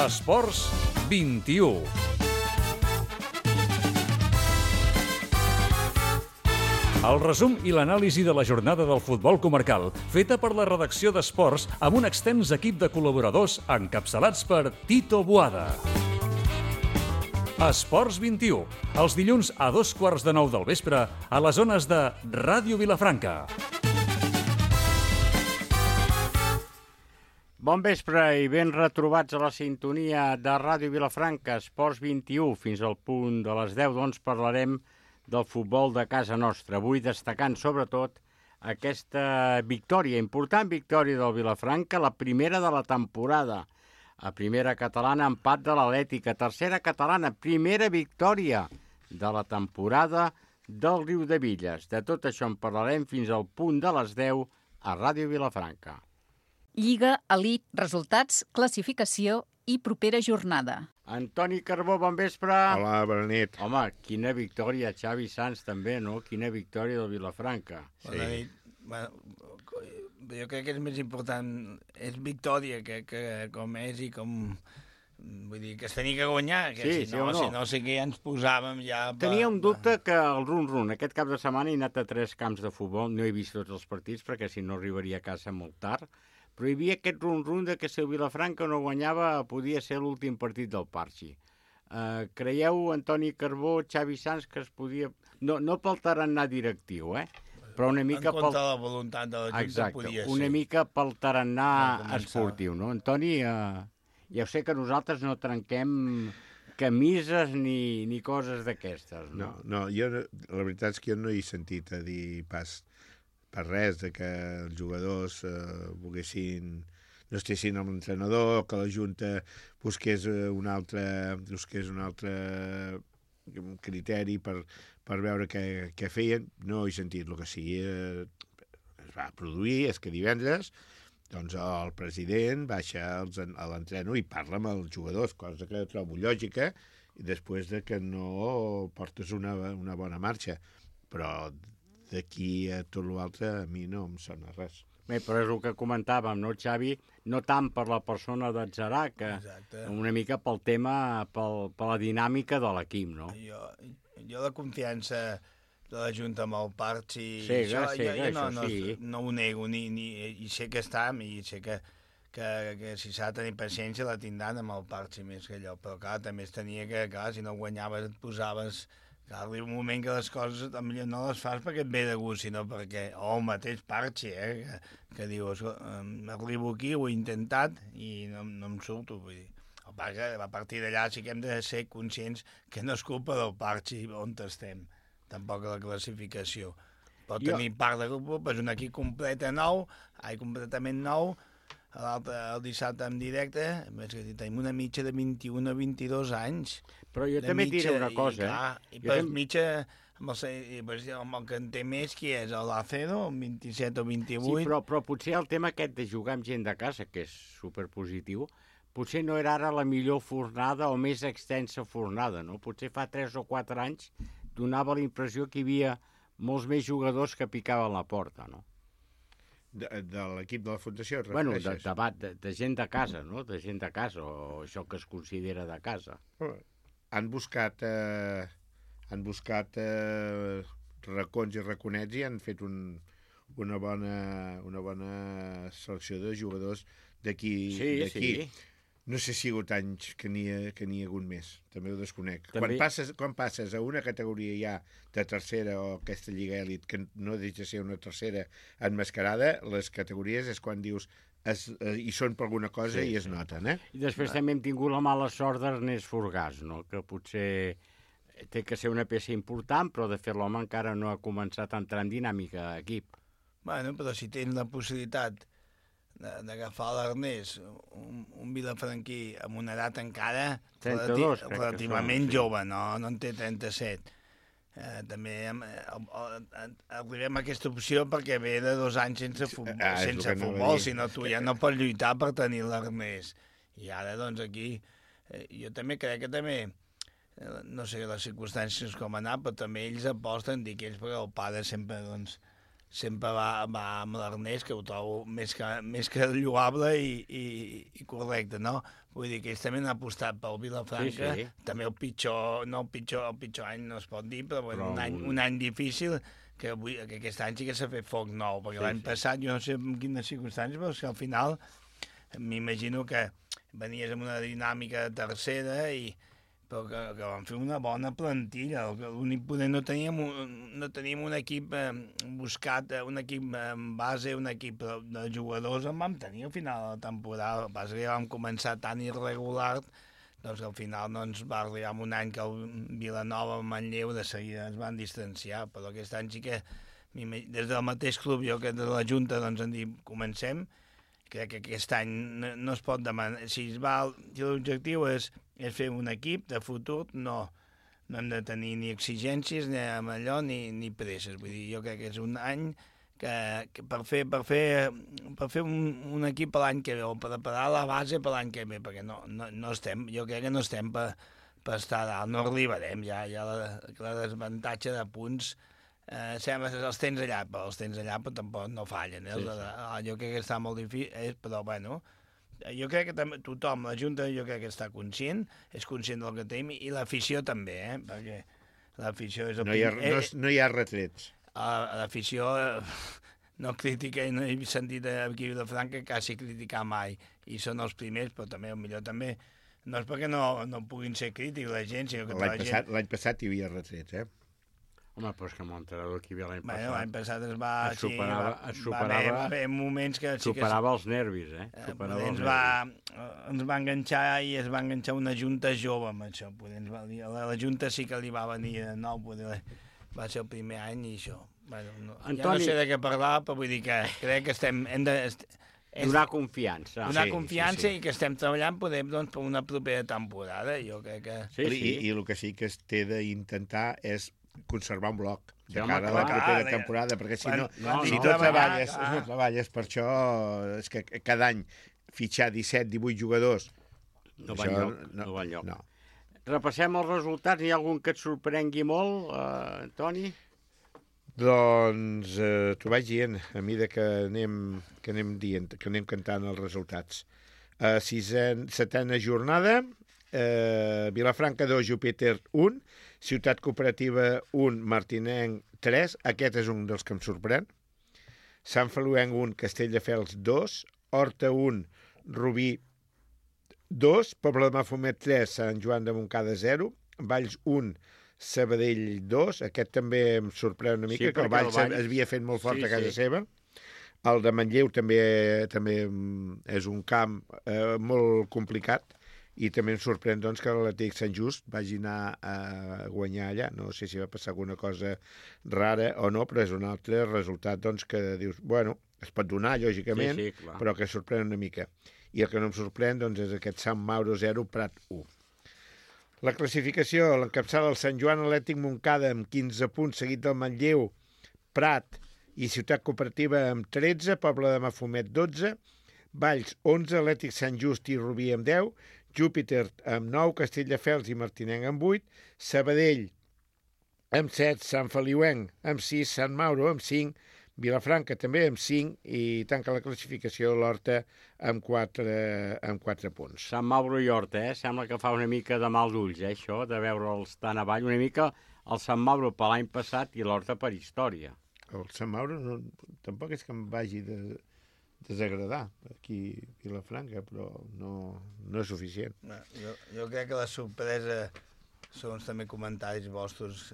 Esports 21. El resum i l'anàlisi de la jornada del futbol comarcal, feta per la redacció d'Esports amb un extens equip de col·laboradors encapçalats per Tito Boada. Esports 21, els dilluns a 8:15 del vespre a les zones de Ràdio Vilafranca. Bon vespre i ben retrobats a la sintonia de Ràdio Vilafranca, Esports 21. Fins al punt de les 10, doncs, parlarem del futbol de casa nostra. Avui destacant, sobretot, aquesta victòria, important victòria del Vilafranca, la primera de la temporada. A primera catalana, empat de l'Atlètica. Tercera catalana, primera victòria de la temporada del Riudebitlles. De tot això en parlarem fins al punt de les 10 a Ràdio Vilafranca. Lliga, elit, resultats, classificació i propera jornada. Antoni Carbó, bon vespre. Hola, bona nit. Home, quina victòria, Xavi Sans també, no? Quina victòria del Vilafranca. Bona nit. Bueno, jo crec que és més important, és victòria que com és i com... Vull dir, que es tenia que guanyar, que Sí, si no, sí o no? sí que ja ens posàvem ja... Tenia un dubte que el run-run, aquest cap de setmana he anat a 3 camps de futbol, no he vist tots els partits perquè si no arribaria a casa molt tard, però hi havia aquest run-run de que si el Vilafranca no guanyava podia ser l'últim partit del Parxi. Creieu, Antoni Carbó, Xavi Sans, que es podia... No pel tarannà directiu, però una mica en compte de la voluntat de la Junta Exacte, podia ser. una mica pel tarannà No començava. esportiu, no? Antoni, ja ho sé que nosaltres no trenquem camises ni coses d'aquestes, no? No, la veritat és que jo no he sentit a dir pas per res de que els jugadors volguessin, no estessin amb l'entrenador, que la Junta busqués un altre criteri per veure què feien. No he sentit. El que sí es va produir és que divendres doncs el president baixa a l'entreno i parla amb els jugadors, cosa que trobo lògica, i després de que no portes una bona marxa. Però d'aquí a tot l'altre a mi no em sona res. Bé, però és el que comentàvem, no, Xavi? No tant per la persona d'Atzarà, que Exacte. una mica pel tema, per la dinàmica de l'equip, no? Jo la confiança de la Junta amb el Parxi... Cega, jo no ho nego, i sé que està, i sé que si s'ha de tenir paciència la tindran amb el Parxi més que allò, però clar, també es tenia que, clar, si no guanyaves et posaves... Clar, arriba un moment que les coses potser no les fas perquè et ve de gust, sinó perquè, el mateix Parxi, que dius, arribo aquí, ho he intentat i no em surto, vull dir. El que a partir d'allà sí que hem de ser conscients que no és culpa del Parxi on estem, tampoc la classificació. Pot tenir part de culpa, és un equip completament nou, el dissabte en directe, més que tenim una mitja de 21 a 22 anys. Però jo també et diré una cosa, I per mitja, amb el que en té més, qui és? L'Acedo, un 27 o 28? Sí, però potser el tema aquest de jugar amb gent de casa, que és superpositiu, potser no era ara la millor fornada o més extensa fornada, no? Potser fa 3 o 4 anys donava la impressió que hi havia molts més jugadors que picaven la porta, no? De l'equip de la Fundació, et Bueno, refereixes? de gent de casa, no? De gent de casa, o això que es considera de casa. Han buscat racons i raconets i han fet una bona selecció de jugadors d'aquí. Sí. No sé si hi ha hagut anys que n'hi ha hagut més, també ho desconec. També... Quan passes a una categoria ja de tercera o aquesta lliga èlit, que no deixa de ser una tercera enmascarada, les categories és quan dius hi són per alguna cosa i es noten, I després també hem tingut la mala sort d'Ernest Forgàs, no? Que potser té que ser una peça important, però de fet l'home encara no ha començat a entrar en dinàmica d'equip. Bueno, però si tens la possibilitat d'agafar l'Ernest, un vilafranquí amb una edat encara 32, relativament jove, no en té 37. També arribem a aquesta opció perquè ve de 2 anys sense futbol, si no tu ja no pots lluitar per tenir l'Ernest. I ara, doncs, aquí, jo també crec que també, no sé les circumstàncies com anar, però també ells aposten, dic ells, perquè el pare sempre, doncs, sempre va amb l'Ernest, que ho trobo més que lloable i correcte, no? Vull dir que ells també han apostat pel Vilafranca, Sí. també el pitjor any no es pot dir, però bueno, un any difícil, que aquest any sí que s'ha fet foc nou, perquè l'any passat, jo no sé en quines circumstàncies, però és que al final m'imagino que venies amb una dinàmica tercera però que van fer una bona plantilla. L'únic poder no teníem un equip buscat, un equip en base, un equip de jugadors en vam tenir al final de la temporada. El que passa que vam començar tan irregular, doncs al final no ens va arribar un any que el Vilanova, el Manlleu, de seguida ens van distanciar, però aquest any sí que des del mateix club, jo que de la Junta, doncs han dit comencem. Crec que aquest any no es pot demanar. Si l'objectiu és fer un equip de futur, no hem de tenir ni exigències ni amb allò ni presses. Vull dir, jo crec que és un any que per fer un equip per l'any que ve, o preparar la base per l'any que ve, perquè no estem, jo crec que no estem per estar dalt, no arribarem, ja la desavantatge de punts sembla que els tens allà, però tampoc no fallen. Jo crec que està molt difícil, però bueno, jo crec que tothom, la Junta, jo crec que està conscient, és conscient del que tenim, i l'afició també, perquè l'afició és... No hi ha retrets. L'afició no critica, no he sentit aquí a Vilafranca quasi criticar mai, i són els primers, però també, millor també, no és perquè no puguin ser crítics la gent, sinó que L'any passat hi havia retrets, Home, però és que amb l'entrenador que hi havia l'any passat... L'any passat va haver moments que... Superava els nervis, Ens va enganxar i es va enganxar una junta jove amb això. La junta sí que li va venir de nou, va ser el primer any i això. Ja no sé de què parlar, però vull dir que crec que hem de... Donar confiança. Donar confiança i que estem treballant per una propera temporada, jo crec que... I el que sí que es té d'intentar és conservar un bloc de cara a la propera temporada, perquè si no treballes per això, és que cada any fitxar 17-18 jugadors no va enlloc. Repassem els resultats. Hi ha algun que et sorprengui molt, Toni? Doncs t'ho vaig dient a mesura que anem dient, que anem cantant els resultats. Setena jornada, Vilafranca 2, Júpiter 1, Ciutat Cooperativa 1, Martinenc 3, aquest és un dels que em sorprèn, Sant Feliuenc 1, Castelldefels 2, Horta 1, Rubí 2, Pobla de Mafumet 3, Sant Joan de Montcada 0, Valls 1, Sabadell 2, aquest també em sorprèn una mica, que el Valls havia fet molt fort a casa seva. El de Manlleu també és un camp molt complicat, i també em sorprèn doncs, que l'Atlètic Sant Just vagi anar a guanyar allà. No sé si va passar alguna cosa rara o no, però és un altre resultat doncs, que dius, bueno, es pot donar, lògicament, però que sorprèn una mica. I el que no em sorprèn doncs, és aquest Sant Mauro 0, Prat 1. La classificació l'encapçala el Sant Joan Atlètic Montcada amb 15 punts, seguit del Manlleu, Prat i Ciutat Cooperativa amb 13, Pobla de Mafumet 12, Valls 11, Atlètic Sant Just i Rubí amb 10, Júpiter amb 9, Castelldefels i Martinenc amb 8, Sabadell amb 7, Sant Feliuenc amb 6, Sant Mauro amb 5, Vilafranca també amb 5 i tanca la classificació l'Horta amb 4 punts. Sant Mauro i Horta, sembla que fa una mica de mal d'ulls, això, de veure'ls tan avall, una mica el Sant Mauro per l'any passat i l'Horta per història. El Sant Mauro tampoc és que em vagi desagradar aquí a Vilafranca, però no és suficient. Jo crec que la sorpresa són també comentaris vostres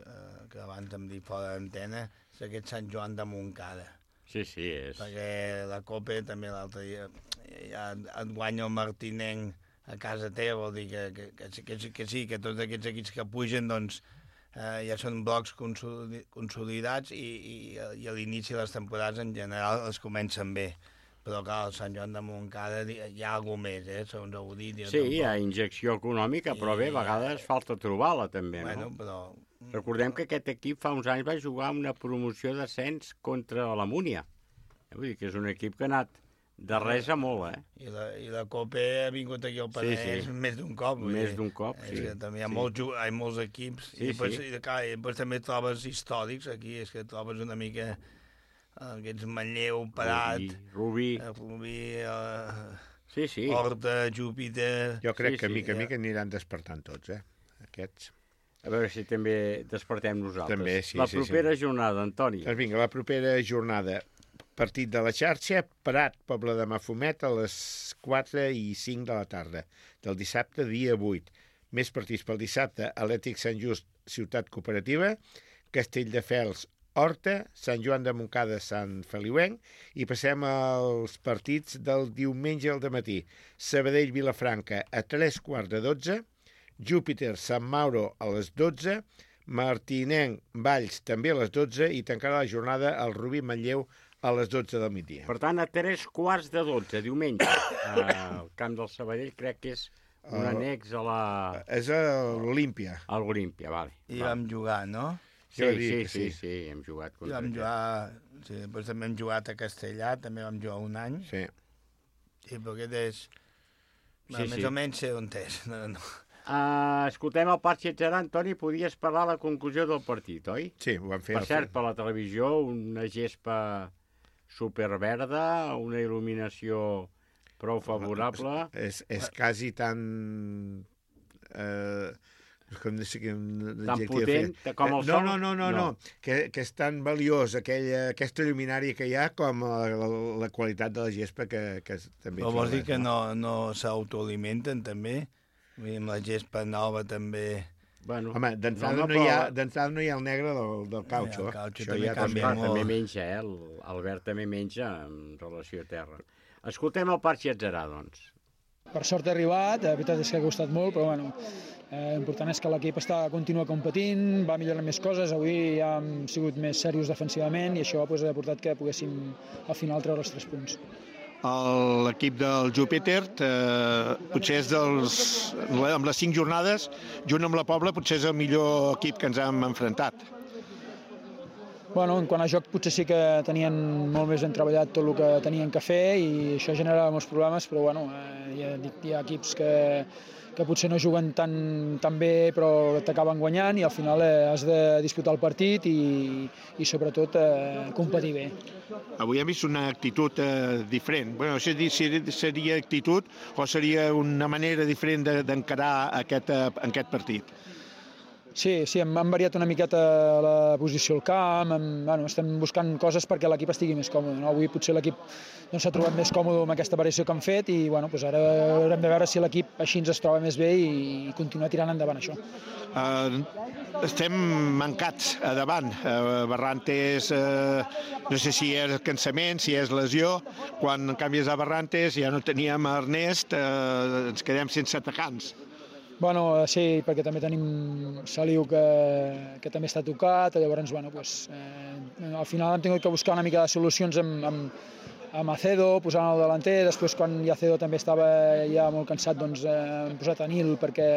que abans em dic fora d'antena, és aquest Sant Joan de Montcada. Sí, és. Perquè la Copa també l'altre dia ja et guanya el Martinenc a casa teva, vol dir que sí, que tots aquests equips que pugen doncs ja són blocs consolidats i a l'inici de les temporades en general els comencen bé. Però clar, al Sant Joan de Montcada hi ha alguna més, segons heu dit. Sí, hi ha injecció econòmica, però bé, a vegades falta trobar-la també, no? Però... Recordem que aquest equip fa uns anys va jugar una promoció d'ascens contra la Múnia. Vull dir que és un equip que ha anat de res a molt, I la Copa ha vingut aquí al Penedès més d'un cop. Més d'un cop, sí. És que també hi ha molts equips. I després també trobes històrics aquí, és que trobes una mica... aquests Manlleu, Prat, Rubí. Sí. Horta, Júpiter... Jo crec que mica aniran despertant tots, aquests. A veure si també despertem nosaltres. També, sí. La propera jornada, Antoni. Doncs vinga, la propera jornada. Partit de la xarxa, Prat, Poble de Mafumet, a les 4 i 5 de la tarda, del dissabte, dia 8. Més partits pel dissabte, Atlètic Sant Just, Ciutat Cooperativa, Castelldefels, Horta, Sant Joan de Montcada, Sant Feliuenc, i passem als partits del diumenge al dematí. Sabadell, Vilafranca, a 3:15, Júpiter, Sant Mauro, a les 12, Martinenc, Valls, també a les 12, i tancarà la jornada el Rubí Manlleu a les 12 del migdia. Per tant, a 3:15, diumenge, al camp del Sabadell, crec que és un annex a la... És a l'Olímpia. A l'Olímpia, vale. I vam jugar, no? Sí, hem jugat contra vam jugar, sí, doncs també hem jugat a Castellà, també vam jugar un any. Sí. Sí, però aquest és... Més o menys sé on és. No. Escoltem el Parc Xetxerà, Antoni, podies parlar a la conclusió del partit, oi? Sí, ho vam fer. Per cert, per la televisió, una gespa superverda, una il·luminació prou favorable. És quasi tan... com tan potent com el sol? No. Que és tan valiós aquesta lluminària que hi ha com la qualitat de la gespa que també... Però vols dir que no s'autoalimenten també? Amb la gespa nova també... Bueno, home, d'entrada no hi ha el negre del cautxo. El cautxo també canvia molt. També menja, l'Albert també menja en relació a terra. Escoltem el Parc Xetxerà, doncs. Per sort ha arribat, la veritat és que ha costat molt, però bueno, l'important és que l'equip continua competint, va millorant més coses, avui ja hem sigut més serios defensivament i això ha portat que poguéssim al final treure els 3 punts. L'equip del Júpiter potser és amb les 5 jornades, junt amb la Pobla, potser és el millor equip que ens hem enfrontat. Bueno, en quant a joc potser sí que tenien molt més ben treballat tot el que tenien que fer i això genera molts problemes, però bueno, hi ha equips que potser no juguen tan bé però t'acaben guanyant i al final has de disputar el partit i sobretot competir bé. Avui hem vist una actitud diferent. Bueno, no sé si seria actitud o seria una manera diferent d'encarar aquest partit. Sí, hem variat una miqueta la posició al camp, estem buscant coses perquè l'equip estigui més còmode. No? Avui potser l'equip s'ha trobat més còmode amb aquesta variació que han fet i ara haurem de veure si l'equip així es troba més bé i continuar tirant endavant això. Estem mancats a davant. Barrantes, no sé si és cansament, si és lesió. Quan canvies a Barrantes ja no teníem Ernest, ens quedem sense atacants. Bueno, sí, perquè també tenim Saliu que també està tocat, llavors, al final hem tingut que buscar una mica de solucions amb Acedo, posant el delanter, després quan Acedo també estava ja molt cansat, doncs hem posat a Nil perquè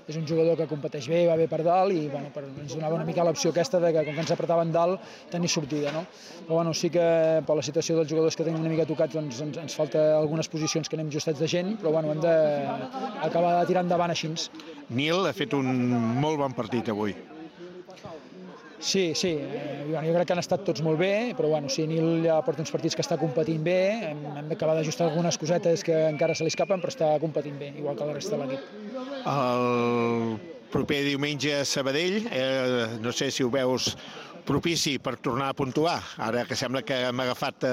és un jugador que competeix bé, va bé per dalt i ens donava una mica l'opció aquesta de que com que ens apretaven dalt tenir sortida, no? Però sí que per la situació dels jugadors que tenim una mica tocats doncs ens falta algunes posicions que anem justats de gent, però hem d'acabar de tirar endavant així. Nil ha fet un molt bon partit avui. Sí, jo crec que han estat tots molt bé, però sí, Nil ja porta uns partits que està competint bé, hem d'acabar d'ajustar algunes cosetes que encara se li escapen, però està competint bé, igual que la resta de l'equip. El proper diumenge a Sabadell, no sé si ho veus propici per tornar a puntuar, ara que sembla que hem agafat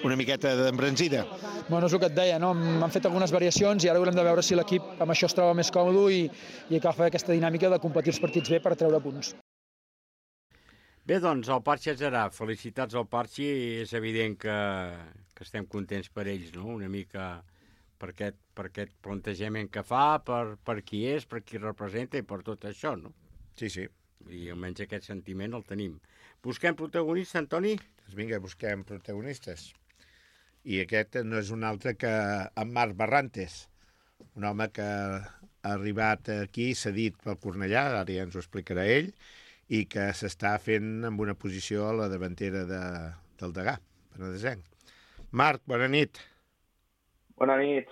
una miqueta d'embranzida. Bueno, és el que et deia, no? Han fet algunes variacions i ara haurem de veure si l'equip amb això es troba més còmode i agafa aquesta dinàmica de competir els partits bé per treure punts. Bé, doncs, el Parc Xetxerà, felicitats al Parc, és evident que estem contents per ells, no? Una mica per aquest plantejament que fa, per qui és, per qui representa i per tot això, no? Sí. I almenys aquest sentiment el tenim. Busquem protagonistes, Antoni? Doncs vinga, busquem protagonistes. I aquest no és un altre que en Marc Barrantes, un home que ha arribat aquí cedit pel Cornellà, ara ja ens ho explicarà ell, i que s'està fent amb una posició a la davantera del Degà, penedesenc. Marc, bona nit. Bona nit.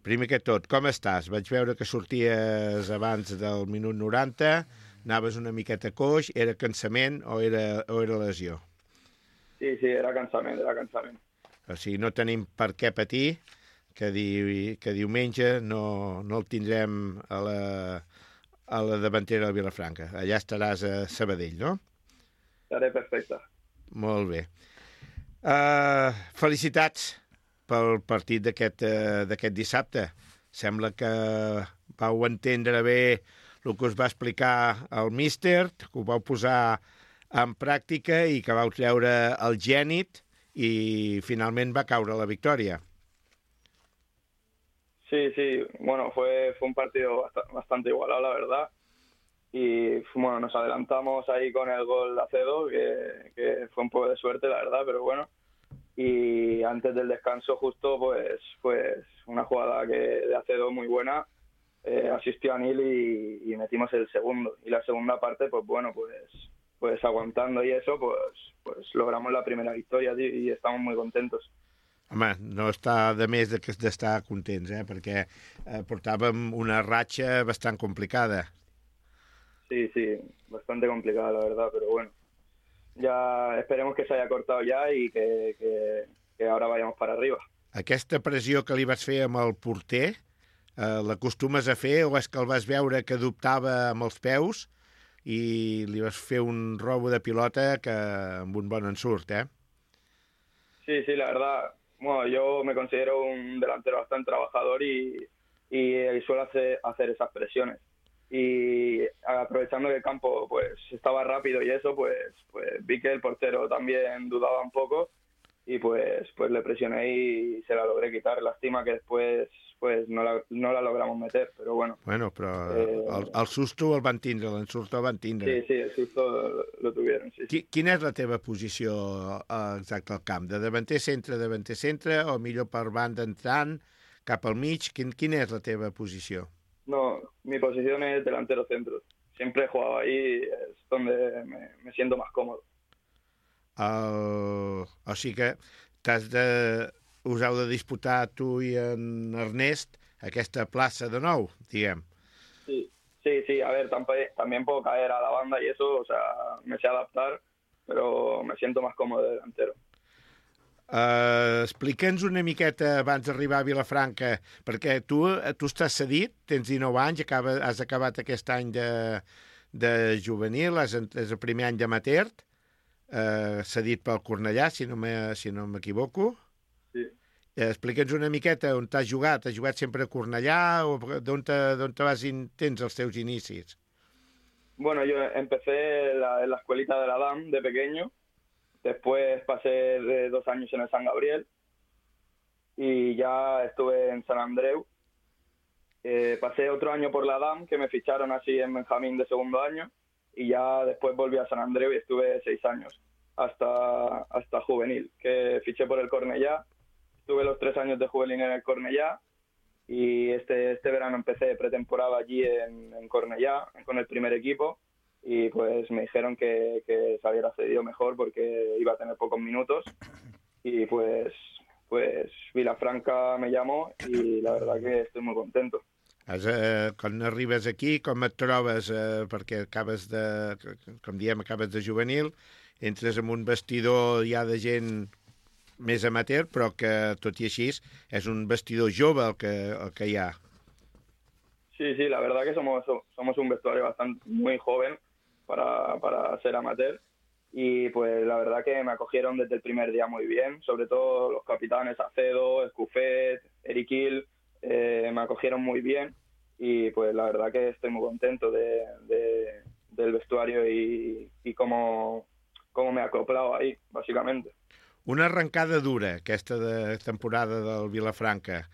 Primer que tot, com estàs? Vaig veure que sorties abans del minut 90, anaves una miqueta coix, era cansament o era lesió? Sí, era cansament. O sigui, no tenim per què patir que diumenge no el tindrem a la davantera del Vilafranca. Allà estaràs a Sabadell, no? Estaré perfecte. Molt bé. Felicitats pel partit d'aquest dissabte. Sembla que vau entendre bé el que us va explicar el míster, que ho vau posar en pràctica i que vau treure el gènit i finalment va caure la victòria. Sí, bueno, fue un partido bastante igualado, la verdad. Y bueno, nos adelantamos ahí con el gol de Acedo, que fue un poco de suerte, la verdad, pero bueno. Y antes del descanso justo, pues una jugada de Acedo muy buena, asistió a Nil y metimos el segundo. Y la segunda parte, pues bueno, pues aguantando y eso, pues logramos la primera victoria, tío, y estamos muy contentos. Home, no està de més d'estar contents, perquè portàvem una ratxa bastant complicada. Sí, bastante complicada, la verdad, pero bueno. Ya esperemos que se haya cortado ya y que ahora vayamos para arriba. Aquesta pressió que li vas fer amb el porter, l'acostumes a fer o és que el vas veure que dubtava amb els peus i li vas fer un robo de pilota que amb un bon ensurt, Sí, la verdad. Bueno, yo me considero un delantero bastante trabajador y suelo hacer esas presiones. Y aprovechando que el campo pues estaba rápido y eso, pues vi que el portero también dudaba un poco y pues le presioné y se la logré quitar. Lástima que después pues no la logramos meter, pero bueno. Bueno, però el susto el van tindre, l'ensurt el van tindre. Sí, el susto lo tuvieron, sí. Quina és la teva posició exacta al camp? De davanter centre, o millor per banda entrant, cap al mig? Quina és la teva posició? No, mi posición es delantero centro. Siempre he jugado ahí, es donde me siento más cómodo. O sigui que us heu de disputar tu i en Ernest aquesta plaça de nou, diguem. Sí, a ver, también puedo caer a la banda y eso, o sea, me sé adaptar, pero me siento más cómodo de delantero. Explica'ns una miqueta abans d'arribar a Vilafranca, perquè tu estàs cedit, tens 19 anys, has acabat aquest any de juvenil, és el primer any d'amateur, cedit pel Cornellà, si no m'equivoco. Sí. Explica'ns una miqueta on t'has jugat. Has jugat sempre a Cornellà o d'on tens els teus inicis? Bueno, yo empecé en la escuelita de la DAM de pequeño. Después pasé de 2 años en el San Gabriel y ya estuve en San Andreu. Pasé otro año por la DAM, que me ficharon así en Benjamín de segundo año, y ya después volví a San Andreu y estuve 6 años hasta juvenil, que fiché por el Cornellà. Tuve los 3 años de juvenil en el Cornellà y este verano empecé pretemporada allí en Cornellà con el primer equipo. Y pues me dijeron que se hubiera cedido mejor porque iba a tener pocos minutos y pues Vilafranca me llamó y la verdad que estoy muy contento. Quan arribes aquí, com et trobes? Perquè acabes de juvenil, entres en un vestidor ja de gent més amateur, però que tot i així és un vestidor jove el que hi ha. Sí, la verdad que somos un vestuario bastante muy joven para ser amateur y pues la verdad que me acogieron desde el primer día muy bien, sobre todo los capitanes Acedo, Escufet, Eriquil, me acogieron muy bien y pues la verdad que estoy muy contento del vestuario y cómo me he acoplado ahí, básicamente. Una arrencada dura, aquesta temporada del Vilafranca.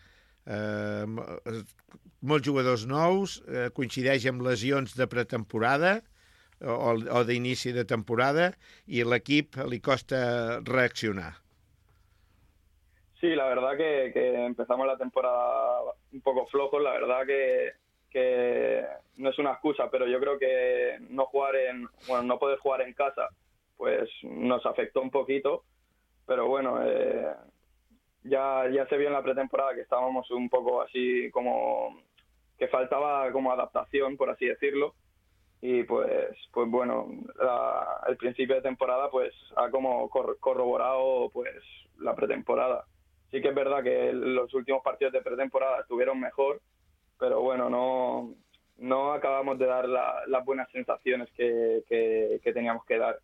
Molts jugadors nous, coincideix amb lesions de pretemporada o d'inici de temporada i l'equip li costa reaccionar. Sí, la verdad que empezamos la temporada un poco flojos, la verdad que no es una excusa, pero yo creo que no poder jugar en casa pues nos afectó un poquito, pero bueno, ya se vio en la pretemporada que estábamos un poco así como que faltaba como adaptación, por así decirlo, y pues bueno, el principio de temporada pues ha como corroborado pues la pretemporada. Sí que es verdad que los últimos partidos de pretemporada estuvieron mejor, pero bueno, no acabamos de dar las buenas sensaciones que teníamos que dar.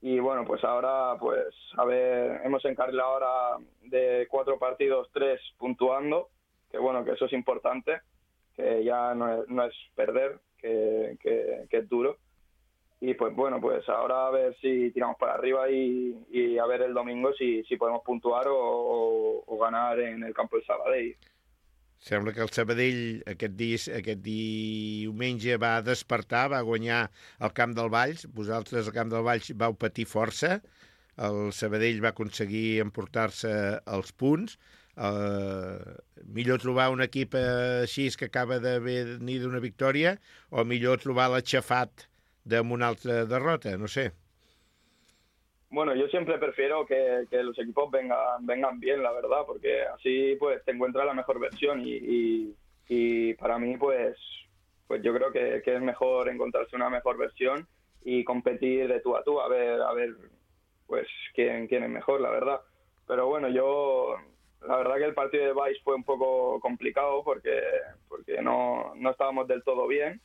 Y bueno, pues ahora, pues a ver, hemos encarrilado ahora de 4 partidos 3 puntuando, que bueno, que eso es importante, que ya no es perder, que es duro. Y pues bueno, pues ahora a ver si tiramos para arriba y a ver el domingo si podemos puntuar o ganar en el campo del Sabadell. Sembla que el Sabadell aquest diumenge va despertar, va guanyar al Camp del Valls. Vosaltres al Camp del Valls vau patir força. El Sabadell va aconseguir emportar-se els punts. Millor trobar un equip així que acaba de venir d'una victòria o millor trobar l'aixafat d'una altra derrota, no sé. Bueno, yo siempre prefiero que los equipos vengan bien, la verdad, porque así pues te encuentras la mejor versión y para mí pues yo creo que es mejor encontrarse una mejor versión y competir de tú a tú, a ver pues quién es mejor, la verdad. Pero bueno, la verdad que el partido de Valls fue un poco complicado porque no estábamos del todo bien.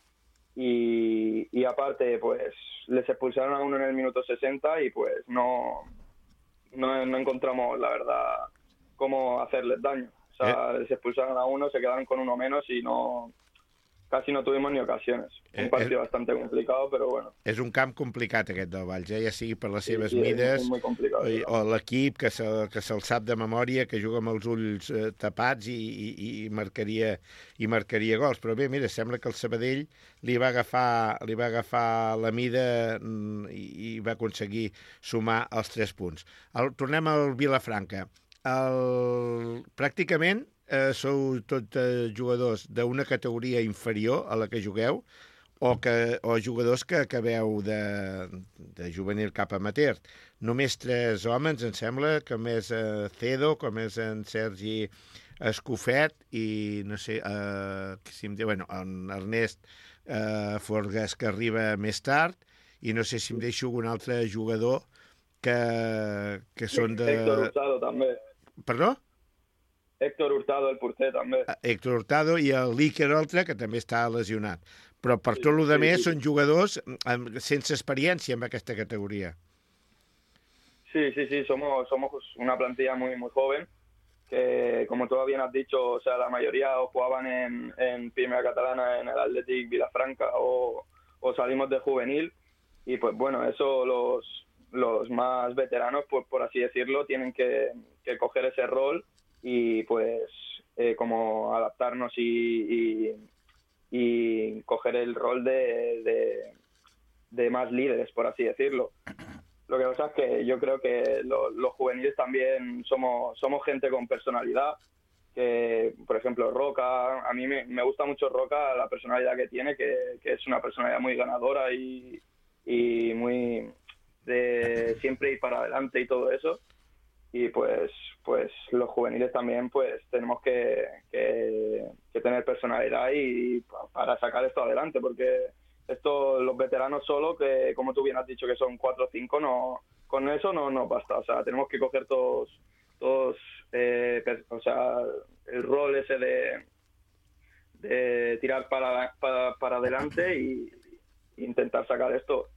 Y aparte pues les expulsaron a uno en el minuto 60 y pues no encontramos la verdad cómo hacerles daño. O sea, les expulsaron a uno, se quedaron con uno menos y casi no tuvimos ni ocasiones. Un partido bastante complicado, però bueno. És un camp complicat aquest del Valls, ja sigui per les seves mides o l'equip que se'l sap de memòria, que juga amb els ulls tapats i marcaria gols. Però bé, mira, sembla que el Sabadell li va agafar la mida i va aconseguir sumar els 3 punts. Tornem al Vilafranca. Pràcticament sou tots jugadors d'una categoria inferior a la que jugueu o jugadors que acabeu de juvenil cap amateur. Només 3 homes, em sembla, com és Cedo, com és en Sergi Escofet i no sé, en Ernest Forgas, que arriba més tard, i no sé si em deixo algun altre jugador que són de... Héctor Hurtado, també. Perdó? Héctor Hurtado, el porter, també. Héctor Hurtado i el l'Iker Oltra, que també està lesionat. Però per tot el demés són jugadors sense experiència en aquesta categoría. Sí, somos una plantilla muy, muy joven, que como tú bien has dicho, o sea, la mayoría jugaban en Primera Catalana, en el Athletic Vilafranca, o salimos de juvenil, y pues bueno, eso los más veteranos, pues por así decirlo, tienen que coger ese rol y pues como adaptarnos y coger el rol de más líderes, por así decirlo. Lo que pasa es que yo creo que los juveniles también somos gente con personalidad, que por ejemplo Roca, a mí me gusta mucho Roca, la personalidad que tiene, que es una personalidad muy ganadora y muy de siempre ir para adelante y todo eso. Y pues los juveniles también pues tenemos que tener personalidad y para sacar esto adelante, porque los veteranos solo, que como tú bien has dicho que son 4 o 5, con eso no nos basta. O sea, tenemos que coger todos o sea, el rol ese de tirar para adelante y intentar sacar esto,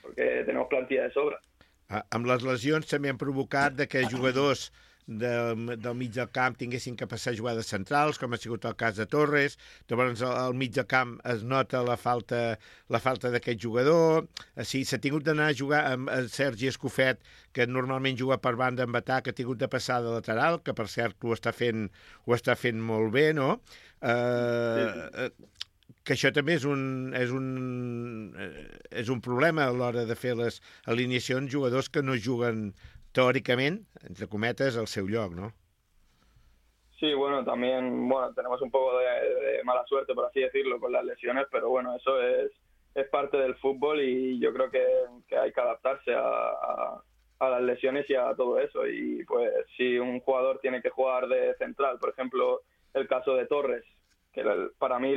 porque tenemos plantilla de sobra. Amb les lesions també han provocat que jugadors del mig del camp tinguessin que passar a jugades centrals, com ha sigut el cas de Torres. Llavors al mig del camp es nota la falta d'aquest jugador. Sí, s'ha tingut d'anar a jugar amb Sergi Escofet, que normalment juga per banda amb atac, que ha tingut de passar de lateral, que per cert ho està fent molt bé, no? Que això també és un problema a l'hora de fer les alineacions, jugadors que no juguen teóricamente, entre cometas, al seu lloc, ¿no? Sí, bueno, también tenemos un poco de mala suerte, por así decirlo, con las lesiones, pero bueno, eso es parte del fútbol y yo creo que hay que adaptarse a las lesiones y a todo eso. Y pues si un jugador tiene que jugar de central, por ejemplo, el caso de Torres, que para mí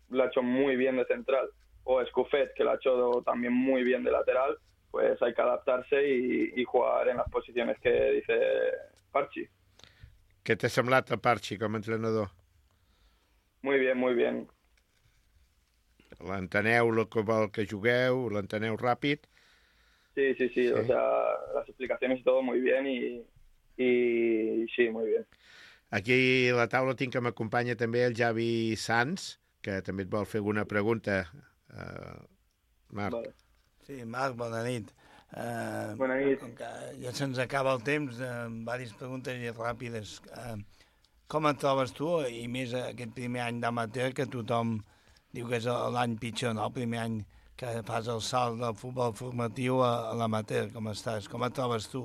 lo ha hecho muy bien de central, o Escufet, que lo ha hecho también muy bien de lateral, pues hay que adaptarse y jugar en las posiciones que dice Parchi. Què t'ha semblat el Parchi com a entrenador? Muy bien, muy bien. L'enteneu el que vol que jugueu? L'enteneu ràpid? Sí, o sea, las explicaciones y todo muy bien y sí, muy bien. Aquí a la taula tinc que m'acompanya també el Javi Sanz, que també et vol fer alguna pregunta. Marc. Vale. Sí, Marc, bona nit. Bona nit. Com que ja se'ns acaba el temps, diverses preguntes ràpides. Com et trobes tu, i més aquest primer any d'amateur, que tothom diu que és l'any pitjor, no? El primer any que fas el salt del futbol formatiu a l'amateur. Com estàs? Com et trobes tu?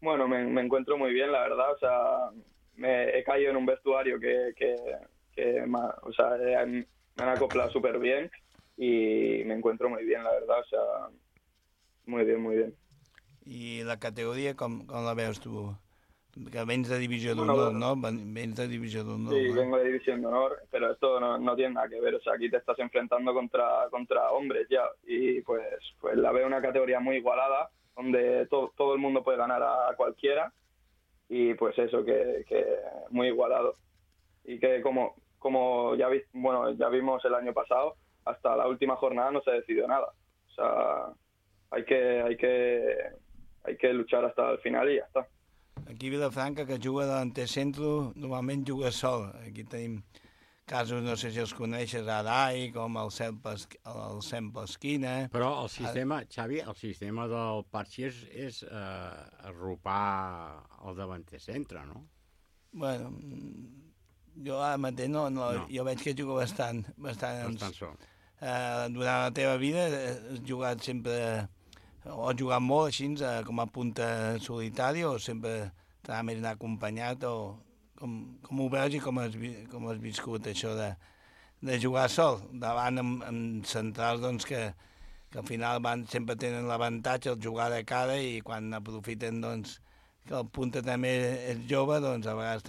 Bueno, me encuentro muy bien, la verdad. O sea, he caído en un vestuario que o sea, me han acoplado súper bien y me encuentro muy bien, la verdad. O sea, muy bien, muy bien. I la categoria, com la veus tu? Que vens de Divisió d'Honor, ¿no? Vens de Divisió d'Honor. Sí, vengo de División de Honor, pero esto no tiene nada que ver. O sea, aquí te estás enfrentando contra hombres ya. Y pues la veo una categoría muy igualada, donde todo el mundo puede ganar a cualquiera. Y pues eso, que muy igualado. Y que como ya vimos el año pasado, hasta la última jornada no se decidió nada. O sea, hay que luchar hasta el final y ya está. Aquí a Vilafranca, que juga delanter centre, normalment juga sol. Aquí tenim casos, no sé si els coneixes, Arai, com el Sem Pasquina. Però el sistema, Xavi, el sistema del Parchi és arropar el davanter centre, no? Bueno, jo ara mateix no. Jo veig que juga bastant sol. Durant la teva vida has jugat sempre, o has jugat molt així, com a punta solitari, o sempre t'ha més anar acompanyat, o com ho veus i com has viscut això de jugar sol, davant amb centrals doncs, que al final sempre tenen l'avantatge el jugar de cara, i quan aprofiten doncs, que el punta també és jove, doncs a vegades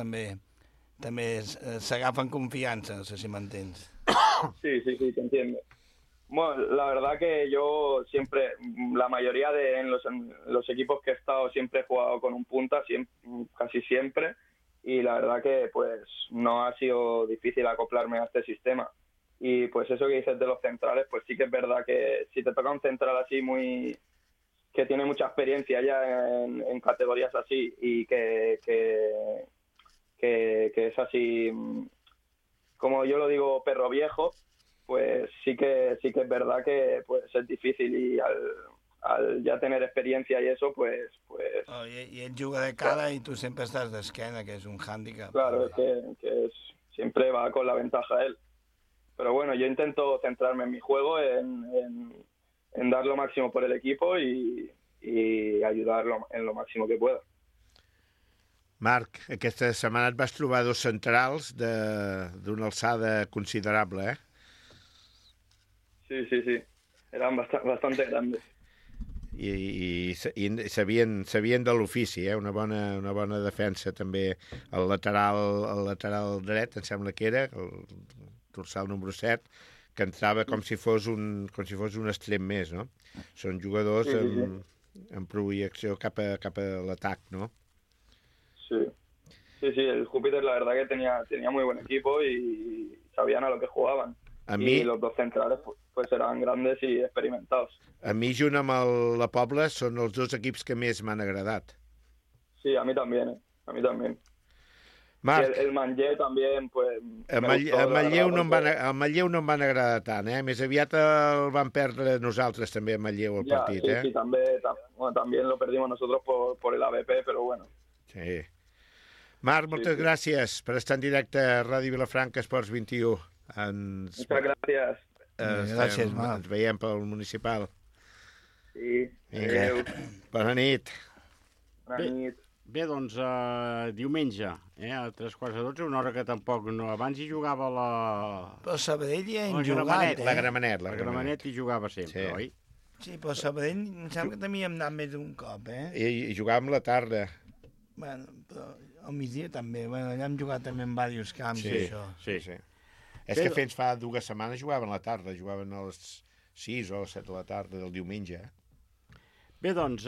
també s'agafen confiança, no sé si m'entens. Sí, te entiendo. Bueno, la verdad que yo siempre, la mayoría en los equipos que he estado, siempre he jugado con un punta, casi siempre, y la verdad que pues no ha sido difícil acoplarme a este sistema. Y pues eso que dices de los centrales, pues sí que es verdad que si te toca un central así que tiene mucha experiencia ya en categorías así, y que es así, como yo lo digo, perro viejo, pues sí que es verdad que pues es difícil, y al ya tener experiencia y eso, pues... Oh, y él juga de cara, claro. Y tú siempre estás de esquena, que es un hándicap. Claro, es que siempre va con la ventaja él. Pero bueno, yo intento centrarme en mi juego, en dar lo máximo por el equipo y ayudarlo en lo máximo que pueda. Marc, aquesta setmana et vas trobar dos centrals d'una alçada considerable, eh? Sí. Eran bastante grandes. I sabien de l'ofici, eh? Una bona defensa també. El lateral dret, em sembla que era, el dorsal número 7, que entrava com si fos un extrem més, no? Són jugadors amb projecció cap a l'atac, no? Sí, el Júpiter la verdad que tenía muy buen equipo y sabían a lo que jugaban. Y los dos centrales pues eran grandes y experimentados. A mi, junt amb la Pobla, són els dos equips que més m'han agradat. Sí, a mí también, a mí también. Marc, el Manlleu també, pues... El Manlleu no em van agradar tant, eh? Més aviat el van perdre nosaltres també, el Manlleu, el partit, eh? Sí, també lo perdimos nosotros por el ABP, però bueno. Sí. Marc, moltes gràcies per estar en directe a Ràdio Vilafranca, Esports 21. Moltes gràcies. Gràcies, Marc. Ens veiem pel municipal. Sí, adéu. Bona nit. Bona nit. Bé, doncs diumenge, a 3:45, una hora que tampoc no... Abans hi jugava la... Però Sabadell ja hem jugat, La Gramenet. La Gramenet hi jugava sempre, oi? Sí, però Sabadell em sembla que també hi hem anat més d'un cop, eh? I jugàvem la tarda. Bueno, però al migdia també. Bueno, allà hem jugat també en diversos camps, sí, això. Sí. És que fins fa 2 setmanes jugaven a la tarda, jugaven a les 6 o 7 de la tarda del diumenge. Bé, doncs,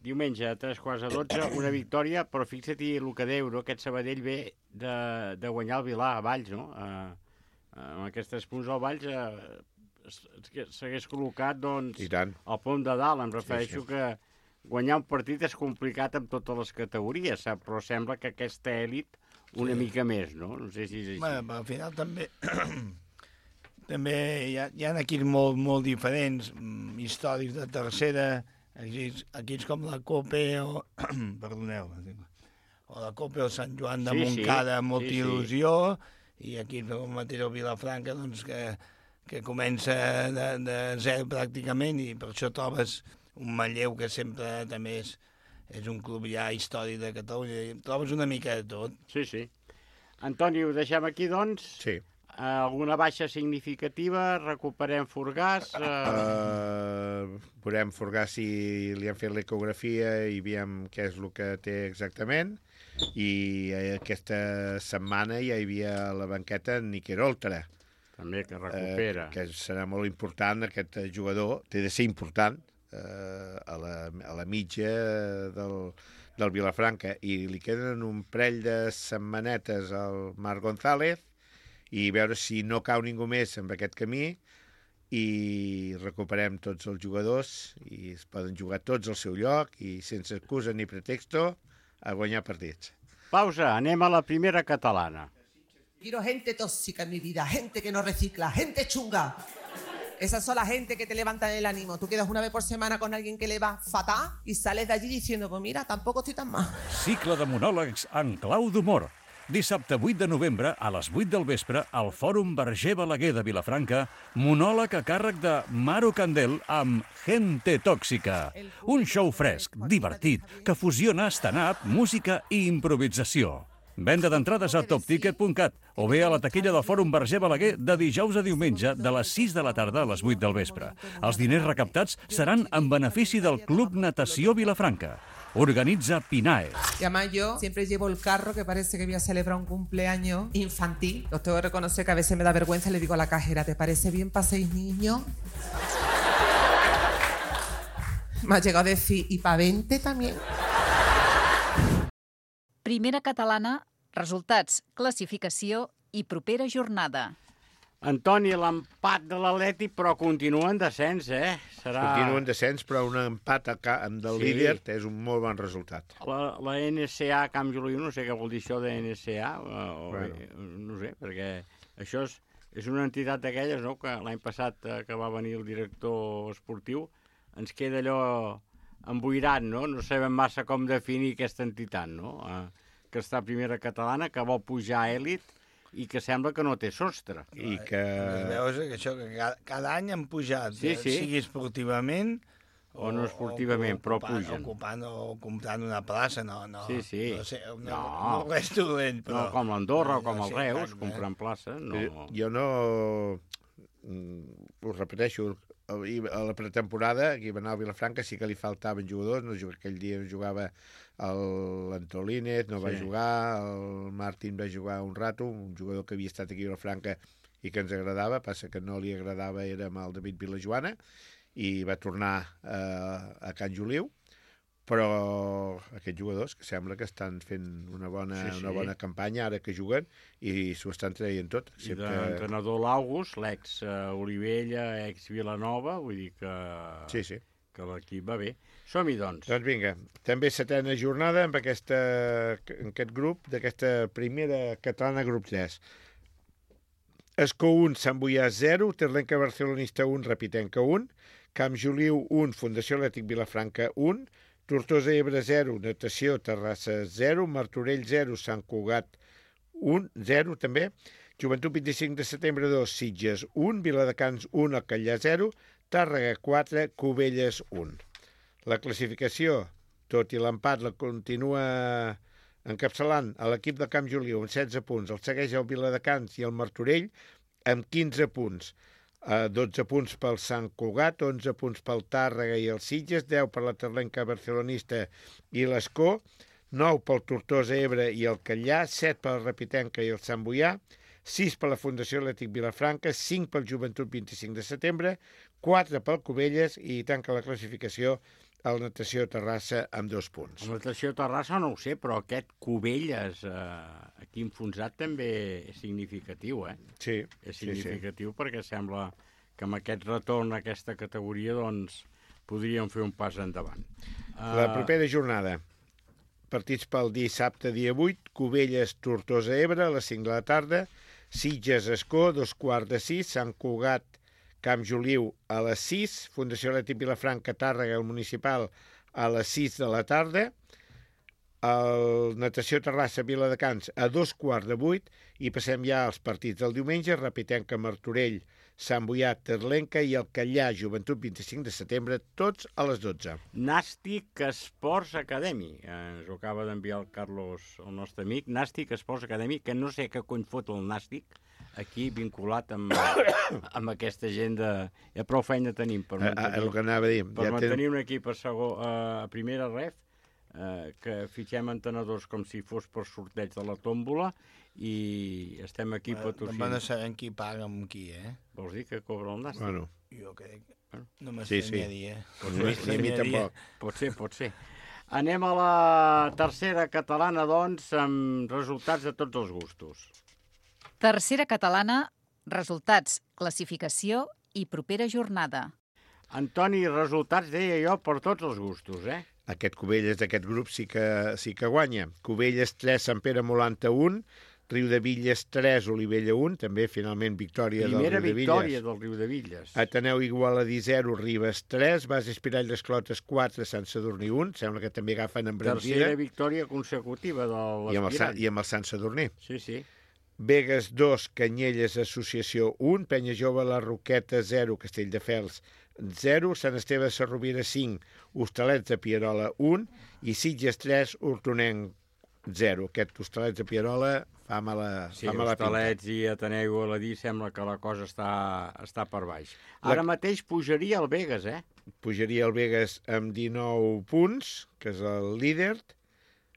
diumenge a 3:15, una victòria, però fixa-t'hi el que deia, no? Aquest Sabadell ve de guanyar el Vilà a Valls, no? Amb aquests 3 punts al Valls s'hagués col·locat, doncs, al pont de dalt. Em refereixo que guanyar un partit és complicat amb totes les categories, però sembla que aquesta èlit una mica més, no? No sé si és així. Bé, al final també... També hi ha equips molt diferents, històrics de tercera, equips com la Cope o... Perdoneu, o la Cope o Sant Joan de Montcada, amb molta il·lusió, i equips com Matero Vilafranca, doncs, que comença de zero pràcticament, i per això trobes un Manlleu que sempre també és un club ja històric de Catalunya, i trobes una mica de tot. Sí, sí. Antoni, ho deixem aquí, doncs? Sí. Alguna baixa significativa? Recuperem Forgàs? Veurem Forgàs si li han fet l'ecografia i veiem què és el que té exactament. I aquesta setmana ja hi havia a la banqueta Niquer Oltra. També, que recupera. Que serà molt important, aquest jugador. Té de ser important a la mitja del Vilafranca. I li queden un parell de setmanetes al Marc González i veure si no cau ningú més en aquest camí i recuperem tots els jugadors i es poden jugar tots al seu lloc i sense excusa ni pretexto a guanyar partits. Pausa, anem a la primera catalana. Quiero gente tóxica en mi vida, gente que no recicla, gente chunga. Esas son la gente que te levantan el ánimo. Tú quedas una vez por semana con alguien que le va fatal y sales de allí diciendo, pues mira, tampoco estoy tan mal. Cicle de monòlegs en clau d'humor. Dissabte 8 de novembre, a les 8 del vespre, al Fòrum Verger Balaguer de Vilafranca, monòleg a càrrec de Maro Candel amb Gente Tòxica. Un show fresc, divertit, que fusiona stand-up, música i improvisació. Venda d'entrades a topticket.cat o bé a la taquilla del Fòrum Verger Balaguer de dijous a diumenge de les 6 de la tarda a les 8 del vespre. Els diners recaptats seran en benefici del Club Natació Vilafranca. Organitza PINAE. Y además yo siempre llevo el carro que parece que voy a celebrar un cumpleaños infantil. Os tengo que reconocer que a veces me da vergüenza y le digo a la cajera, ¿te parece bien para 6 niños? Me ha llegado a decir, ¿y para 20 también? Primera catalana, resultats, classificació i propera jornada. Antoni, l'empat de l'Atleti, però continua en descens, Continua en descens, però un empat del líder és un molt bon resultat. La NSA Camp Juliu, no sé què vol dir això de NSA, no sé, perquè això és una entitat d'aquelles, no?, que l'any passat que va venir el director esportiu ens queda allò emboirat, no? No sabem massa com definir aquesta entitat, no?, que està a primera catalana, que vol pujar a èlit, i que sembla que no té sostre. I que... Veus que això, que cada any han pujat, sigui esportivament o no esportivament, però pugen. Ocupant o comprant una plaça, no sé, no res dolent, però... No, com l'Andorra o com el Reus, comprant plaça, no... Jo no... Ho repeteixo, a la pretemporada, aquí va anar a Vilafranca, sí que li faltaven jugadors, aquell dia jugava l'Antolínez, no va jugar, el Martín va jugar un rato, un jugador que havia estat aquí a Vilafranca i que ens agradava, passa que no li agradava, era amb el David Vilajoana, i va tornar a Can Juliu, però aquests jugadors que sembla que estan fent una bona campanya ara que juguen i s'ho estan traient tot. I l'entrenador l'August, l'ex-Olivella, ex-Vilanova, vull dir que... Sí. Que l'equip va bé. Som-hi, doncs. Doncs vinga, també setena jornada amb aquest grup, d'aquesta primera catalana grup 3. Escó 1, Sant Boià 0, Terlenca Barcelonista 1, Repitenca 1, Camp Juliu 1, Fundació Atlètic Vilafranca 1, Tortosa Ebre 0, Natació Terrassa 0, Martorell 0, Sant Cugat 1, 0 també, Joventut 25 de setembre 2, Sitges 1, Viladecans 1, Alcallà 0, Tàrrega 4, Cubelles 1. La classificació, tot i l'empat, la continua encapçalant a l'equip del Camp Juliu amb 16 punts. El segueix el Viladecans i el Martorell amb 15 punts. 12 punts pel Sant Cugat, 11 punts pel Tàrrega i el Sitges, 10 per la Terlenca Barcelonista i l'Escó, 9 pel Tortosa Ebre i el Callà, 7 pel Repitenca i el Sant Boià, 6 per la Fundació Atlètic Vilafranca, 5 pel Joventut 25 de setembre, 4 pel Cubelles i tanca la classificació el Natació Terrassa amb 2 punts. El Natació Terrassa no ho sé, però aquest Cubelles aquí enfonsat també és significatiu, Sí. És significatiu perquè sembla que amb aquest retorn a aquesta categoria doncs podríem fer un pas endavant. La propera jornada. Partits pel dissabte, dia 8, Cubelles, Tortosa, Ebre, a les 5 de la tarda, Sitges, Escó, 2:15, Sant Cugat, Camp Joliu, a les 6, Fundació Atlètic Vilafranca, Tàrrega, el Municipal, a les 6 de la tarda, el Natació Terrassa, Viladecans, a 7:15, i passem ja als partits del diumenge, Repitenca, Martorell, Sant Boià, Terlenca i el Callà, Joventut, 25 de setembre, tots a les 12. Nàstic Esports Academy. Ens ho acaba d'enviar el Carlos, el nostre amic. Nàstic Esports Academy, que no sé què cony fot el Nàstic, aquí vinculat amb aquesta gent de... Ja prou feina tenim per mantenir, el que anava a dir. per mantenir un equip a primera ref, que fitxem entenedors com si fos per sorteig de la tòmbola i estem aquí patrocinant. No van saber qui paga amb qui, Vols dir que cobra el Nàstic? Bueno. Jo crec. No m'estranyaria. Ni a mi tampoc. Pot ser. Anem a la tercera catalana, doncs, amb resultats de tots els gustos. Tercera catalana, resultats, classificació i propera jornada. Antoni, resultats, deia jo, per tots els gustos, Aquest Cubelles d'aquest grup sí que guanya. Cubelles 3, Sant Pere Molanta 1, Riudevilles 3, Olivella 1, també finalment victòria del Riudevilles. Primera victòria del Riudevilles. Ateneu Igualadí 0, Ribes 3, Bas Espirall les Clotes 4, Sant Sadurní 1, sembla que també agafen embranzida. Tercera victòria consecutiva de l'Espirall. I amb el Sant Sadurní. Sí. Begues 2, Canyelles Associació 1, Penya Jove La Roqueta 0, Castelldefels 0, Sant Esteve de Sarrovira 5, Hostalets de Pierola 1 i Sitges 3, Hortonenc 0. Aquest Hostalets de Pierola fa mala pinta. Hostalets i Ateneu Aladí sembla que la cosa està per baix. Ara mateix pujaria el Begues, Pujaria el Begues amb 19 punts, que és el líder,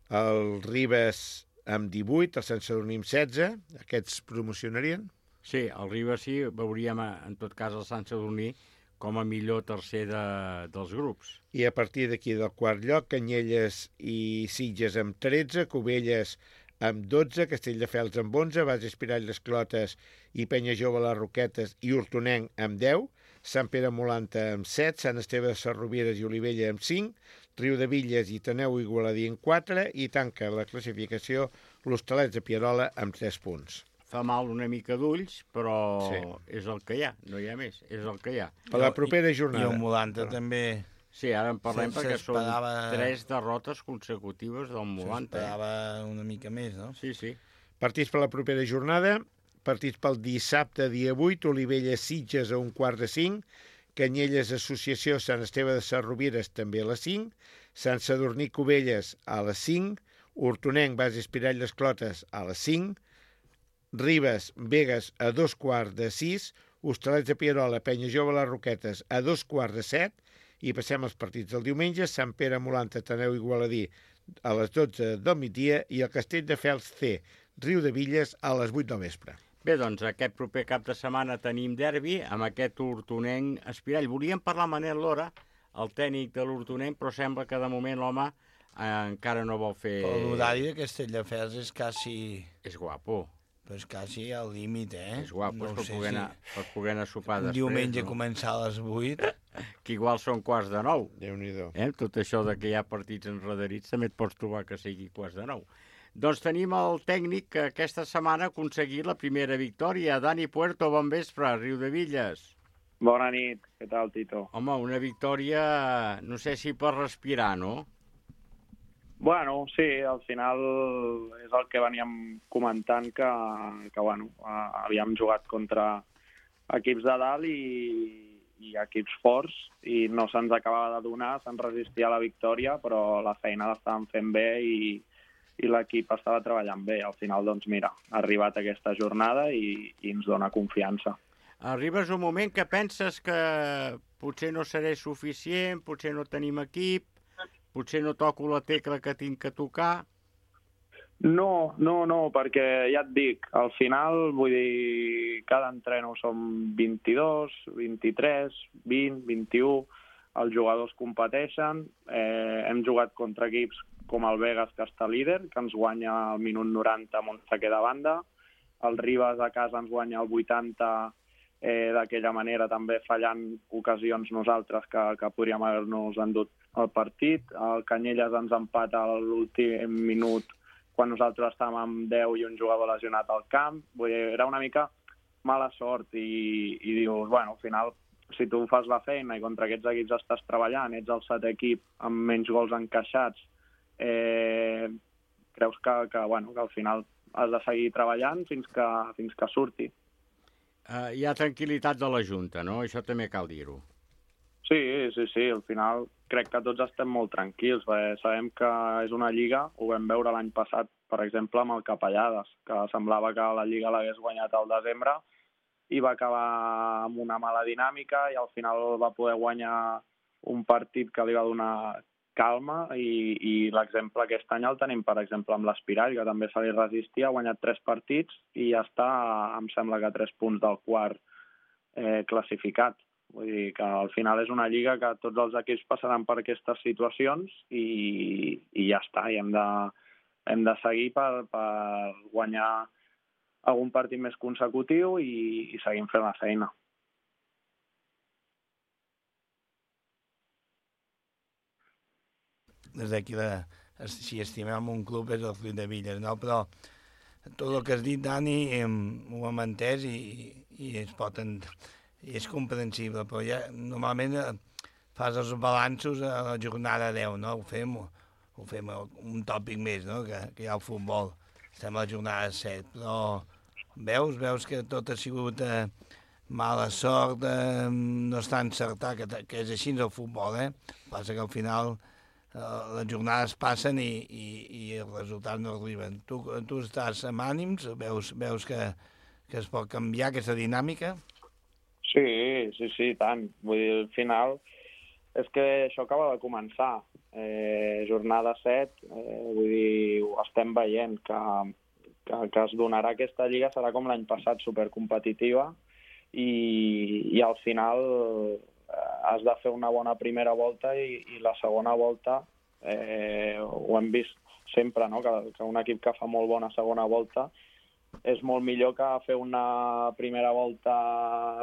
el Ribes amb 18, el Sant Sadurní amb 16, aquests promocionarien? Sí, el Ribes sí, veuríem en tot cas el Sant Sadurní com a millor tercer dels grups. I a partir d'aquí del quart lloc, Canyelles i Sitges amb 13, Cubelles amb 12, Castelldefels amb 11, Bas Espirall les Clotes i Penya Jove les Roquetes i Hortonenc amb 10, Sant Pere Molanta amb 7, Sant Esteve de Sarrovires i Olivella amb 5, Riudevilles i Ateneu Igualadí amb 4 i tanca la classificació l'Hostalets de Pierola amb 3 punts. Fa mal una mica d'ulls, però és el que hi ha, no hi ha més, és el que hi ha. Per la propera jornada. I el Molanta també... Sí, ara en parlem perquè són 3 derrotes consecutives del Molanta. S'esperava una mica més, no? Sí. Partits per la propera jornada, partits pel dissabte, dia 8, Olivella Sitges a 4:45, Canyelles Associació Sant Esteve de Sarrovires també a les 5, Sant Sadurní Cubelles a les 5, Hortonenc Bas Espirall les Clotes a les 5, Ribes, Begues a 5:15, Hostalets de Pierola, Penya Jove les Roquetes a 6:45 i passem als partits del diumenge, Sant Pere Molanta, Ateneu Igualadí a les 12 del migdia i el Castelldefels C, Riudevilles a les 8 del vespre. Bé, doncs aquest proper cap de setmana tenim derbi amb aquest Hortonenc Espirall. Volíem parlar amb Manel Lora, el tècnic de l'Hortonenc, però sembla que de moment l'home encara no vol fer... L'horari de Castelldefels és quasi... És guapo. Però és quasi al límit, És guapo, per poder anar a sopar després. Diumenge començar a les 8. Que igual són 8:45. Déu-n'hi-do. Tot això de que hi ha partits enredarits també et pots trobar que sigui 8:45. Doncs tenim el tècnic que aquesta setmana ha aconseguit la primera victòria. Dani Puerto, bon vespre, Riudevilles. Bona nit, què tal, Tito? Home, una victòria, no sé si per respirar, no? Bueno, sí, al final és el que veníem comentant, que bueno, havíem jugat contra equips de dalt i equips forts i no se'ns acabava de donar, se'ns resistia a la victòria, però la feina l'estàvem fent bé i l'equip estava treballant bé. Al final, doncs mira, ha arribat aquesta jornada i ens dona confiança. Arribes un moment que penses que potser no seré suficient, potser no tenim equip, potser no toco la tecla que tinc que tocar. No, perquè ja et dic, al final, vull dir, cada entreno som 22, 23, 20, 21, els jugadors competeixen, hem jugat contra equips com el Vegas, que està líder, que ens guanya al minut 90 amb un saque de banda, el Ribas a casa ens guanya al 80 d'aquella manera, també fallant ocasions nosaltres que podríem haver-nos endut el partit, el Canyelles ens empata a l'últim minut quan nosaltres estàvem amb 10 i un jugador lesionat al camp. Vull dir, era una mica mala sort i dius, bueno, al final, si tu fas la feina i contra aquests equips estàs treballant, ets el 7è equip amb menys gols encaixats, creus que al final has de seguir treballant fins que surti. Hi ha tranquil·litat de la Junta, no? Això també cal dir-ho. Sí, al final crec que tots estem molt tranquils, perquè sabem que és una lliga, ho vam veure l'any passat, per exemple, amb el Capellades, que semblava que la lliga l'hagués guanyat al desembre i va acabar amb una mala dinàmica i al final va poder guanyar un partit que li va donar calma i l'exemple aquest any el tenim, per exemple, amb l'Espirall, que també se li resistia, ha guanyat 3 partits i ja està, em sembla que 3 punts del quart classificat. Vull dir que al final és una lliga que tots els equips passaran per aquestes situacions i ja està, i hem de seguir per guanyar algun partit més consecutiu i seguim fent la feina. Des d'aquí, si estimem un club és el Riudebitlles, no? Però tot el que has dit, Dani, ho hem entès i es pot... I és comprensible, però ja normalment fas els balanços a la jornada 10, no? Ho fem un tòpic més, no? Que hi ha el futbol. Estem a la jornada 7, però veus que tot ha sigut mala sort, no està encertat, que és així el futbol, Passa que al final les jornades passen i els resultats no arriben. Tu estàs amb ànims? Veus que es pot canviar aquesta dinàmica? Sí, tant. Vull dir, al final és que això acaba de començar. Jornada 7, vull dir, ho estem veient, que es donarà aquesta lliga, serà com l'any passat, supercompetitiva, i al final has de fer una bona primera volta i la segona volta, ho hem vist sempre, no? Que un equip que fa molt bona segona volta és molt millor que fer una primera volta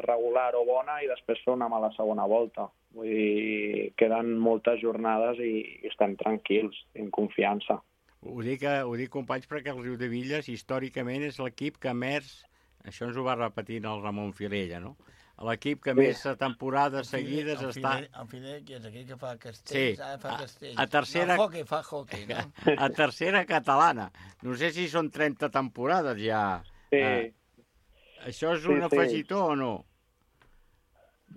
regular o bona i després fer una mala segona volta. Vull dir, queden moltes jornades i estem tranquils, en confiança. Ho dic, companys, perquè el Riudebitlles històricament és l'equip que més, això ens ho va repetint el Ramon Filella, no? L'equip que més temporades seguides està... El Filella, que és aquell que fa castells, fa castells. A tercera... Fa hockey, no? A tercera catalana. No sé si són 30 temporades ja. Sí. Això és un afegitó o no?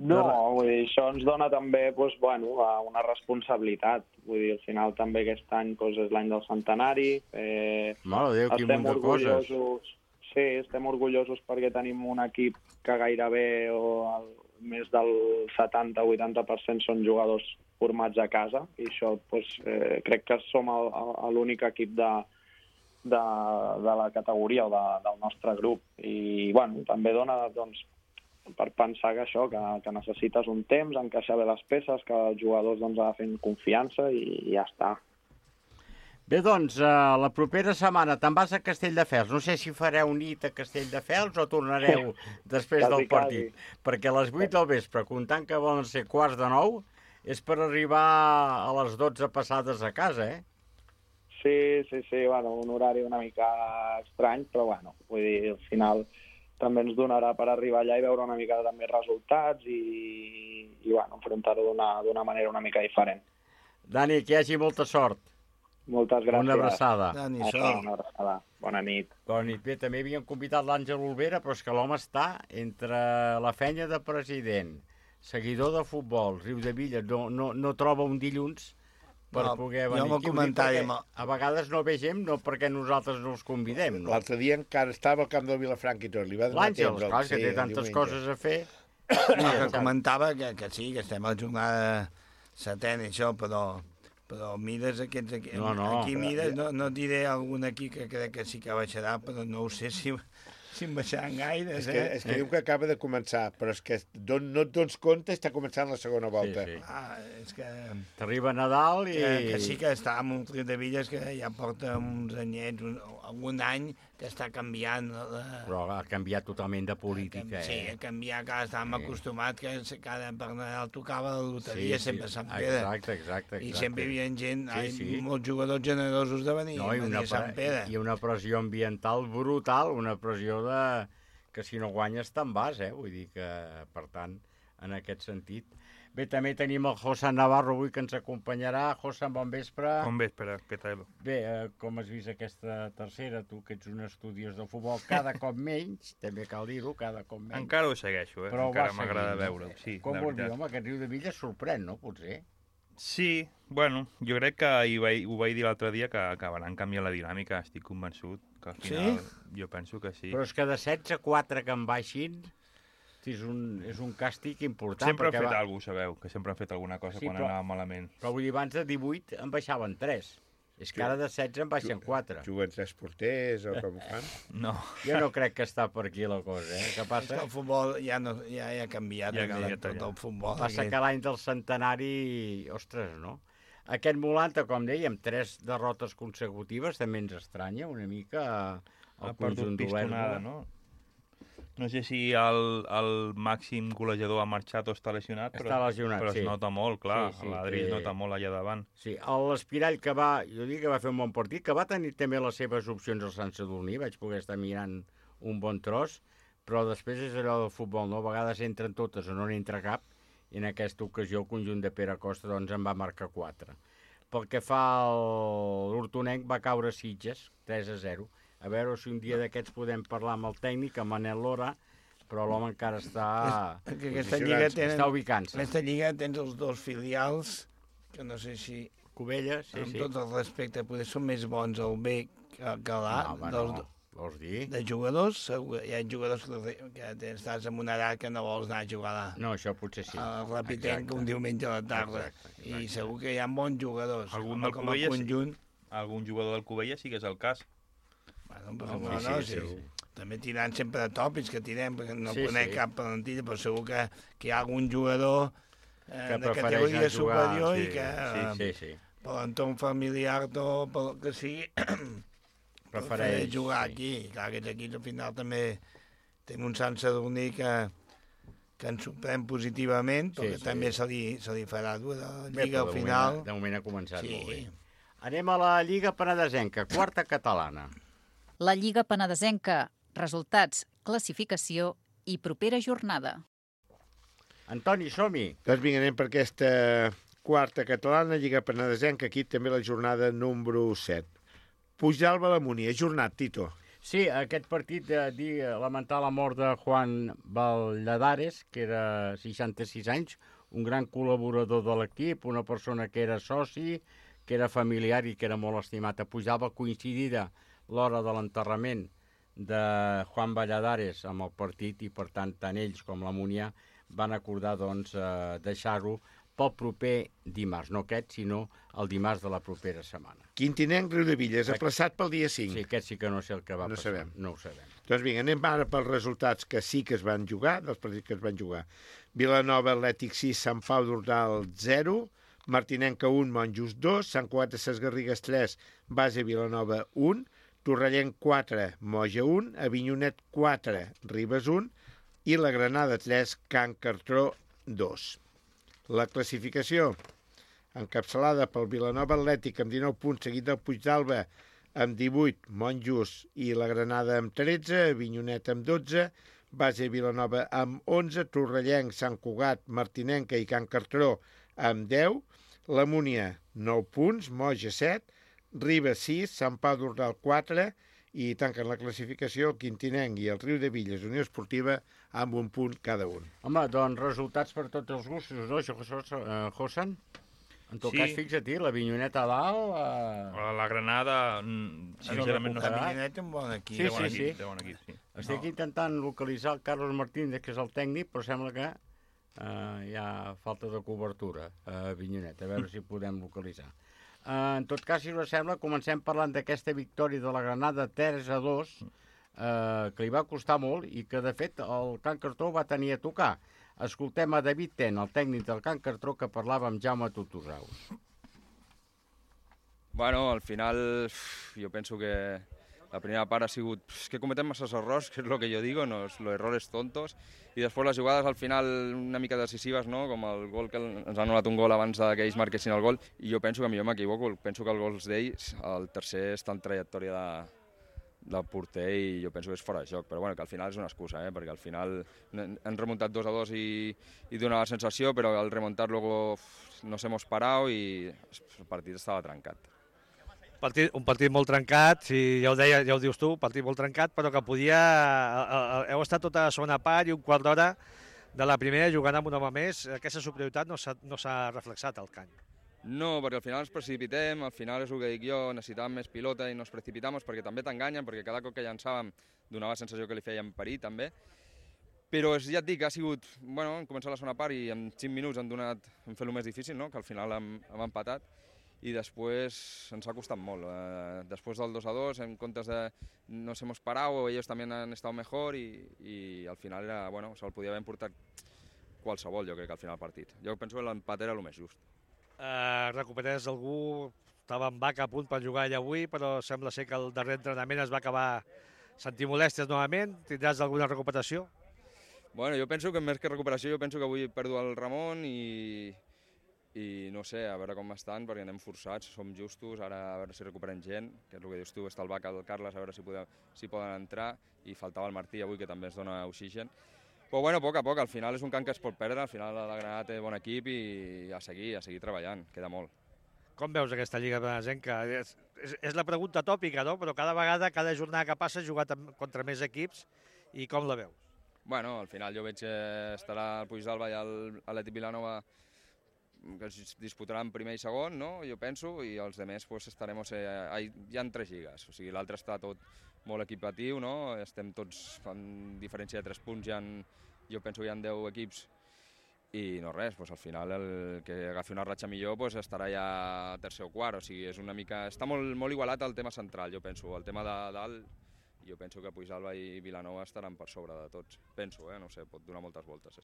No, vull dir, això ens dona també una responsabilitat. Vull dir, al final també aquest any és l'any del centenari. Mare de Déu, quin munt de coses. Sí, estem orgullosos perquè tenim un equip que gairebé més del 70-80% són jugadors formats a casa i això crec que som l'únic equip de la categoria o del nostre grup. I també dona per pensar que això, que necessites un temps, encaixar bé les peces, que els jugadors agafen confiança i ja està. Bé, doncs, la propera setmana te'n vas a Castelldefels. No sé si fareu nit a Castelldefels o tornareu després del partit. Perquè a les 8 del vespre, comptant que volen ser 8:45, és per arribar a les 12 passades a casa, Sí, un horari una mica estrany, però vull dir, al final també ens donarà per arribar allà i veure una mica també resultats i enfrontar-ho d'una manera una mica diferent. Dani, que hi hagi molta sort. Moltes gràcies. Una abraçada. Una abraçada. Bona nit. Bona nit. Bé, també havíem convidat l'Àngel Olvera, però és que l'home està entre la feina de president, seguidor de futbol, Riudebitlles, no troba un dilluns per poder venir aquí. A vegades no ve gent, no perquè nosaltres no els convidem. No? L'altre dia encara estava al camp del Vilafranca i tot. L'Àngel, clar, que té tantes coses a fer. Que comentava que sí, que estem a la jornada setena i això, però però mires aquests aquí, No. aquí mires, no et diré algun aquí que crec que sí que baixarà, però no ho sé si em baixaran gaires, És que diu que acaba de començar, però és que no et dones compte, està començant la segona volta. Sí. És que... T'arriba Nadal i... Que sí que està amb un Riudebitlles que ja porta uns anyets, algun any, que està canviant. Però ha canviat totalment de política, Sí, ha canviat, que estàvem acostumats que cada per Nadal tocava la loteria sempre a Sant Pere. Exacte. I sempre hi havia gent, molts jugadors generosos de venir a Sant Pere. I una pressió ambiental brutal, una pressió que si no guanyes te'n vas, vull dir que, per tant, en aquest sentit. Bé, també tenim el José Navarro avui que ens acompanyarà. José, bon vespre. Bon vespre, què tal? Bé, com has vist aquesta tercera, tu que ets un estudiós del futbol, cada cop menys, també cal dir-ho, cada cop menys. Encara ho segueixo, però encara m'agrada veure-ho, sí. Com vol dir, home, aquest Riudebitlles sorprèn, no, potser? Sí, bueno, jo crec que ho vaig dir l'altre dia, que acabaran canviant la dinàmica, estic convençut, que al final jo penso que sí. Però és que de 16 a 4 que en baixin és un càstig important. Sempre han fet alguna cosa, sabeu, que sempre han fet alguna cosa quan anava malament. Però vull dir, abans de 18 en baixaven 3. És que ara de 16 en baixen 4. Juguen 3 porters o com fan? No. Jo no crec que està per aquí la cosa, Què passa? El futbol ja ha canviat, tot el futbol. Passa que l'any del centenari, ostres, no? Aquest Molanta, com dèiem, 3 derrotes consecutives, també ens estranya una mica el conjunt d'Olèrdola. No? No sé si el màxim golejador ha marxat o està lesionat, però es nota molt, clar. L'Adri es nota molt allà davant. Sí, l'Espirall que jo dic que va fer un bon partit, que va tenir també les seves opcions al Sant Sadurní, vaig poder estar mirant un bon tros, però després és allò del futbol, no? A vegades entren totes o no n'entra cap, i en aquesta ocasió el conjunt de Pere Costa doncs en va marcar 4. Pel que fa l'Hortonenc va caure a Sitges, 3-0. A veure si un dia d'aquests podem parlar amb el tècnic, amb Manel Lora, però l'home encara està ubicant-se. Aquesta lliga tens els 2 filials, que no sé si... Cubelles, sí. Amb tot el respecte, potser són més bons el B que l'A. Vols dir? De jugadors, hi ha jugadors que estàs en una edat que no vols anar a jugar. No, això potser sí. Repitent un diumenge a la tarda. I segur que hi ha bons jugadors. Algun jugador del Cubelles sí que és el cas. Sí. També tirant sempre de tòpics que tirem, perquè no conec cap plantilla, però segur que hi ha algun jugador de categoria superior i que per l'entorn familiar o pel que sigui prefereix jugar aquí. Clar, aquests equips al final també tenim un Sant Sadurní que ens sorprèn positivament, però que també se li farà dur a la Lliga al final. De moment ha començat molt bé. Anem a la Lliga Penedesenca, quarta catalana. La Lliga Penedesenca, resultats, classificació i propera jornada. Antoni, som-hi. Doncs vinga, anem per aquesta quarta catalana, Lliga Penedesenca, aquí també la jornada número 7. Puigdàlber a la Múnia, ajornat, Tito. Sí, aquest partit lamentar la mort de Juan Valladares, que era 66 anys, un gran col·laborador de l'equip, una persona que era soci, que era familiar i que era molt estimat a Puigdàlber, coincidida l'hora de l'enterrament de Juan Valladares amb el partit i, per tant, tant ells com la Múnia van acordar, doncs, deixar-ho pel proper dimarts, no aquest, sinó el dimarts de la propera setmana. Quintinenc, Riudebitlles, aplaçat pel dia 5. Sí, aquest sí que no sé el que va passar. No ho sabem. Doncs vinga, anem ara pels resultats que sí que es van jugar, dels partits que es van jugar. Vilanova, Atlètic 6, Sant Pau d'Ordal 0, Martinenca 1, Monjos 2, Sant Cugat de Ses Garrigues 3, Base Vilanova 1, Torrellenc 4, Moja 1, Avinyonet 4, Ribes 1 i la Granada 3, Can Cartró 2. La classificació, encapçalada pel Vilanova Atlètic amb 19 punts, seguit del Puigdàlber amb 18, Monjos i la Granada amb 13, Avinyonet amb 12, Base Vilanova amb 11, Torrellenc, Sant Cugat, Martinenca i Can Cartró amb 10, la Múnia 9 punts, Moja 7, Ribes 6, Sant Pau d'Ordal 4 i tanquen la classificació el Quintinenc i el Riudebitlles Unió Esportiva amb un punt cada un. Home, doncs resultats per tots els gustos, no, Josan? En tot cas, fixa't, l'Avinyoneta a dalt... La Granada, sincerament, no sé. L'Avinyoneta un bon equip. Sí. Estic intentant localitzar el Carlos Martínez, que és el tècnic, però sembla que hi ha falta de cobertura a Avinyoneta, a veure si podem localitzar. En tot cas, si us sembla, comencem parlant d'aquesta victòria de la Granada 3-2, que li va costar molt i que, de fet, el Can Cartró va tenir a tocar. Escoltem a David Ten, el tècnic del Can Cartró, que parlava amb Jaume Tutusaus. Bueno, al final jo penso que la primera part ha sigut que cometem masses errors, que és el que jo digo, los errores tontos, i després les jugades al final una mica decisives, no? Com el gol que ens han anul·lat un gol abans que ells marquessin el gol, i jo penso que millor m'equivoco, penso que els gols d'ells, el tercer està en trajectòria del porter i jo penso que és fora de joc, però bueno, que al final és una excusa, perquè al final han remuntat 2-2 i dona la sensació, però al remuntar luego nos hemos parado i el partit estava trencat. Un partit molt trencat, ja ho dius tu, un partit molt trencat, però que podia... Heu estat tota la segona part i un quart d'hora de la primera jugant amb un home més. Aquesta superioritat no s'ha reflexat al camp. No, perquè al final ens precipitem, al final és el que dic jo, necessitàvem més pilota i nos precipitamos perquè també t'enganyen, perquè cada cop que llançàvem donava la sensació que li feien parir també. Però ja et dic, ha sigut... Bueno, hem començat la segona part i en 5 minuts hem fet el més difícil, no? Que al final hem empatat. I després ens ha costat molt. Després del 2-2, en comptes de nos hemos parado, ellos también han estado mejor y al final era, bueno, se'l podia haver importat qualsevol, jo crec, al final del partit. Jo penso que l'empat era el més just. Recuperes algú, estava en Vaca a punt per jugar allà avui, però sembla ser que el darrer entrenament es va acabar sentint molèsties novament. Tindràs alguna recuperació? Bueno, jo penso que més que recuperació, jo penso que avui perdo el Ramon i no sé, a veure com estan, perquè anem forçats, som justos, ara a veure si recuperem gent, que és el que dius tu, està el Vaca, el Carles, a veure si poden entrar, i faltava el Martí avui, que també es dona oxigen. Però bueno, a poc a poc, al final és un camp que es pot perdre, al final la Granada té bon equip i a seguir treballant, queda molt. Com veus aquesta Lliga Benesenca? És la pregunta tòpica, no? Però cada vegada, cada jornada que passa, has jugat contra més equips, i com la veus? Bueno, al final jo veig que estarà el Puigdàlber i l'Atlètic Vilanova que es disputaran primer i segon, no? Jo penso, i els altres pues, estarem... Hi ha 3 lligues, o sigui, l'altre està tot molt equipatiu, no? Estem tots en diferència de 3 punts, jo penso que hi ha 10 equips i no res, pues, al final el que agafi una ratxa millor pues, estarà ja tercer o quart, o sigui, és una mica... Està molt igualat el tema central, jo penso, el tema de dalt, jo penso que Puigdàlber i Vilanova estaran per sobre de tots, penso, no sé, pot donar moltes voltes.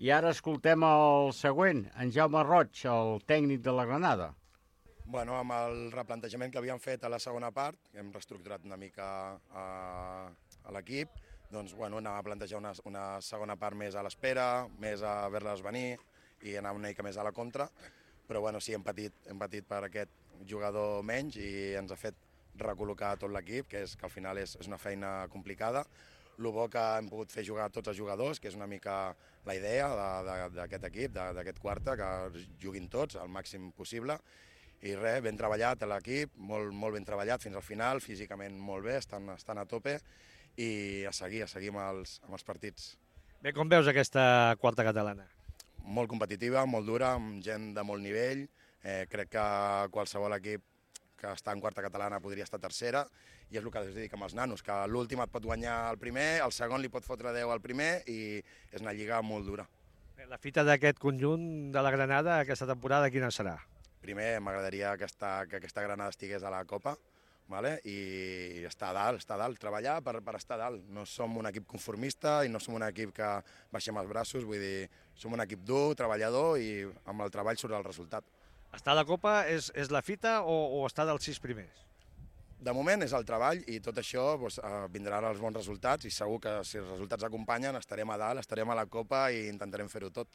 I ara escoltem el següent, en Jaume Roig, el tècnic de la Granada. Bueno, amb el replantejament que havíem fet a la segona part, hem reestructurat una mica a l'equip, doncs bueno, anàvem a plantejar una segona part més a l'espera, més a veure-les venir i anar una mica més a la contra, però bueno, sí, hem patit per aquest jugador menys i ens ha fet recol·locar tot l'equip, que al final és una feina complicada. El bo que hem pogut fer jugar tots els jugadors, que és una mica la idea d'aquest equip, d'aquest quarta, que juguin tots al màxim possible. I res, ben treballat a l'equip, molt ben treballat fins al final, físicament molt bé, estan a tope i a seguir amb els partits. Bé, com veus aquesta quarta catalana? Molt competitiva, molt dura, amb gent de molt nivell. Crec que qualsevol equip que està en quarta catalana podria estar tercera, i és el que es dic amb els nanos, que l'últim et pot guanyar el primer, el segon li pot fotre 10 al primer, i és una lliga molt dura. La fita d'aquest conjunt de la Granada aquesta temporada quina serà? Primer, m'agradaria que aquesta Granada estigués a la Copa, i estar a dalt, treballar per estar a dalt. No som un equip conformista i no som un equip que baixem els braços, vull dir, som un equip dur, treballador, i amb el treball surt el resultat. Estar a la Copa és la fita o estar dels 6 primers? De moment és el treball i tot això vindran els bons resultats i segur que si els resultats acompanyen estarem a dalt, estarem a la Copa i intentarem fer-ho tot.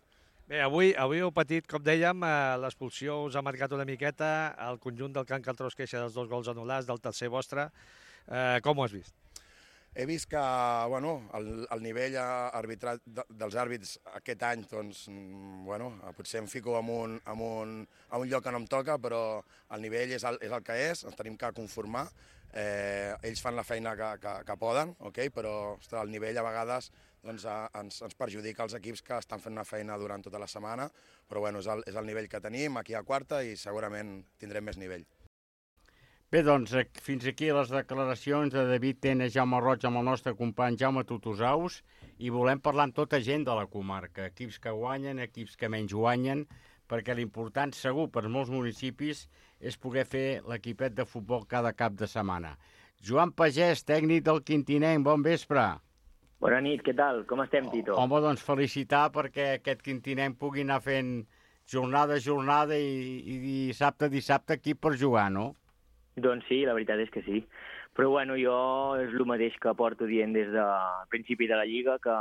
Bé, avui heu patit, com dèiem, l'expulsió us ha marcat una miqueta, el conjunt del Can Cartró es queixa dels 2 gols anul·lats, del tercer vostre. Com ho has vist? He vist que el nivell arbitrat dels àrbits aquest any, doncs, potser em fico en un lloc que no em toca, però el nivell és el que és, ens tenim que conformar. Ells fan la feina que poden, però el nivell a vegades ens perjudica els equips que estan fent una feina durant tota la setmana, però és el nivell que tenim aquí a quarta i segurament tindrem més nivell. Bé, doncs, fins aquí les declaracions de David Tena, Jaume Roig, amb el nostre company Jaume Tutusaus, i volem parlar amb tota gent de la comarca, equips que guanyen, equips que menys guanyen, perquè l'important segur per molts municipis és poder fer l'equipet de futbol cada cap de setmana. Joan Pagès, tècnic del Quintinenc, bon vespre. Bona nit, què tal? Com estem, Tito? Home, doncs felicitar perquè aquest Quintinenc pugui anar fent jornada a jornada i dissabte a dissabte equip per jugar, no? Doncs sí, la veritat és que sí. Però bueno, jo és el mateix que porto dient des del principi de la Lliga, que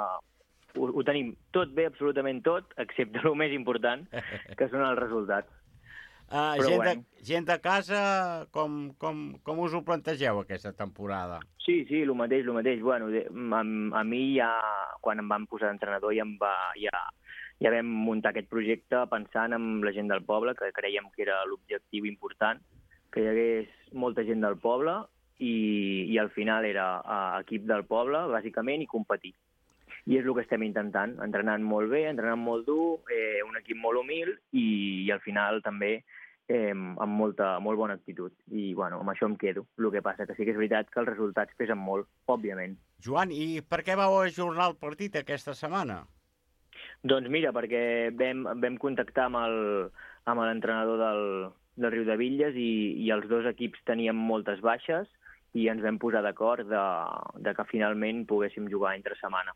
ho tenim tot bé, absolutament tot, excepte el més important, que són els resultats. Gent de casa, com us ho plantegeu aquesta temporada? Sí, el mateix. Bueno, a mi ja, quan em van posar d'entrenador, ja vam muntar aquest projecte pensant en la gent del poble, que creiem que era l'objectiu important, que hi hagués molta gent del poble i al final era equip del poble, bàsicament, i competir. I és el que estem intentant, entrenant molt bé, entrenant molt dur, un equip molt humil i al final també amb molt bona actitud. I bueno, amb això em quedo. El que passa que sí que és veritat que els resultats pesen molt, òbviament. Joan, i per què vau ajornar el partit aquesta setmana? Doncs mira, perquè vam contactar amb l'entrenador del Riudebitlles i els dos equips tenien moltes baixes i ens vam posar d'acord de que finalment poguéssim jugar entre setmana.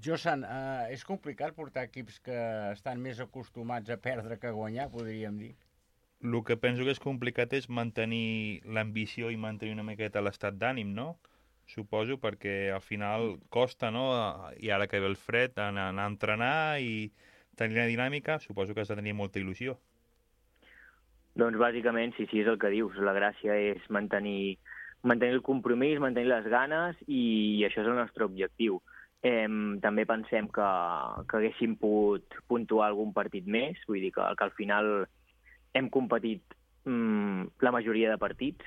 Josan, és complicat portar equips que estan més acostumats a perdre que a guanyar, podríem dir? El que penso que és complicat és mantenir l'ambició i mantenir una miqueta l'estat d'ànim, no? Suposo, perquè al final costa, no? I ara que ve el fred, anar a entrenar i tenir la dinàmica, suposo que has de tenir molta il·lusió. Doncs bàsicament, sí, és el que dius. La gràcia és mantenir el compromís, mantenir les ganes i això és el nostre objectiu. També pensem que haguéssim pogut puntuar algun partit més, vull dir que al final hem competit la majoria de partits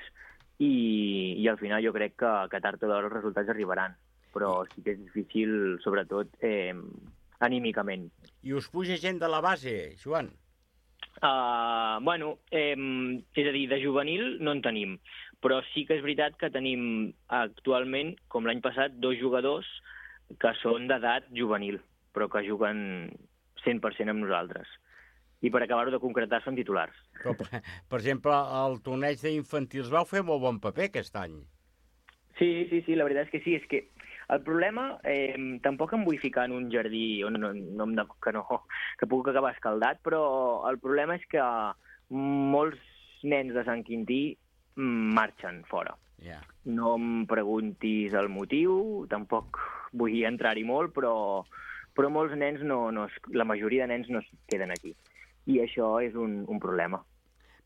i al final jo crec que tard o d'hora els resultats arribaran, però sí que és difícil, sobretot anímicament. I us puja gent de la base, Joan? Bueno, és a dir, de juvenil no en tenim, però sí que és veritat que tenim actualment, com l'any passat, 2 jugadors que són d'edat juvenil, però que juguen 100% amb nosaltres. I per acabar-ho de concretar són titulars. Per exemple, el torneig d'infantils vau fer molt bon paper aquest any. Sí, la veritat és que sí. És que el problema, tampoc em vull ficar en un jardí que puc acabar escaldat, però el problema és que molts nens de Sant Quintí marxen fora. Yeah. No em preguntis el motiu, tampoc vull entrar-hi molt, però molts nens, la majoria de nens no es queden aquí. I això és un problema.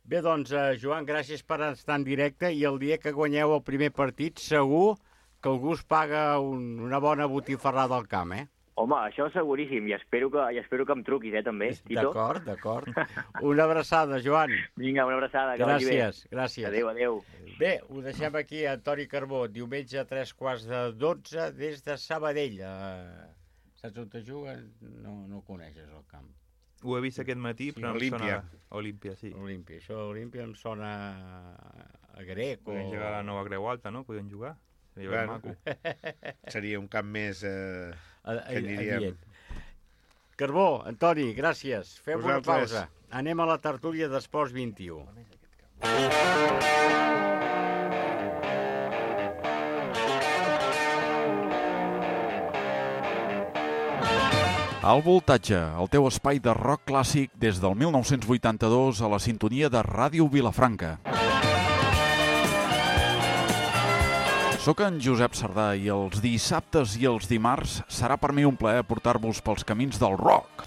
Bé, doncs, Joan, gràcies per estar en directe i el dia que guanyeu el primer partit segur que algú us paga una bona botifarrada al camp, eh? Home, això seguríssim, i espero que em truquis, també, Tito. D'acord. Una abraçada, Joan. Vinga, una abraçada, que vagi bé. Gràcies. Adéu. Bé, ho deixem aquí a Antoni Carbó, diumenge a 3:45 des de Sabadell. Saps on te juguen? No coneixes el camp. Ho he vist aquest matí, però em sona... Olímpia, sí. Això Olímpia em sona a grec o... Podem jugar a la Nova Creu Alta, no? Podem jugar. Seria maco. Seria un camp més... que aniríem... Carbó, Antoni, gràcies. Fem una pausa. Anem a la tertúlia d'Esports 21. Al Voltatge, el teu espai de rock clàssic des del 1982 a la sintonia de Ràdio Vilafranca. Soc en Josep Sardà i els dissabtes i els dimarts serà per mi un plaer portar-vos pels camins del rock.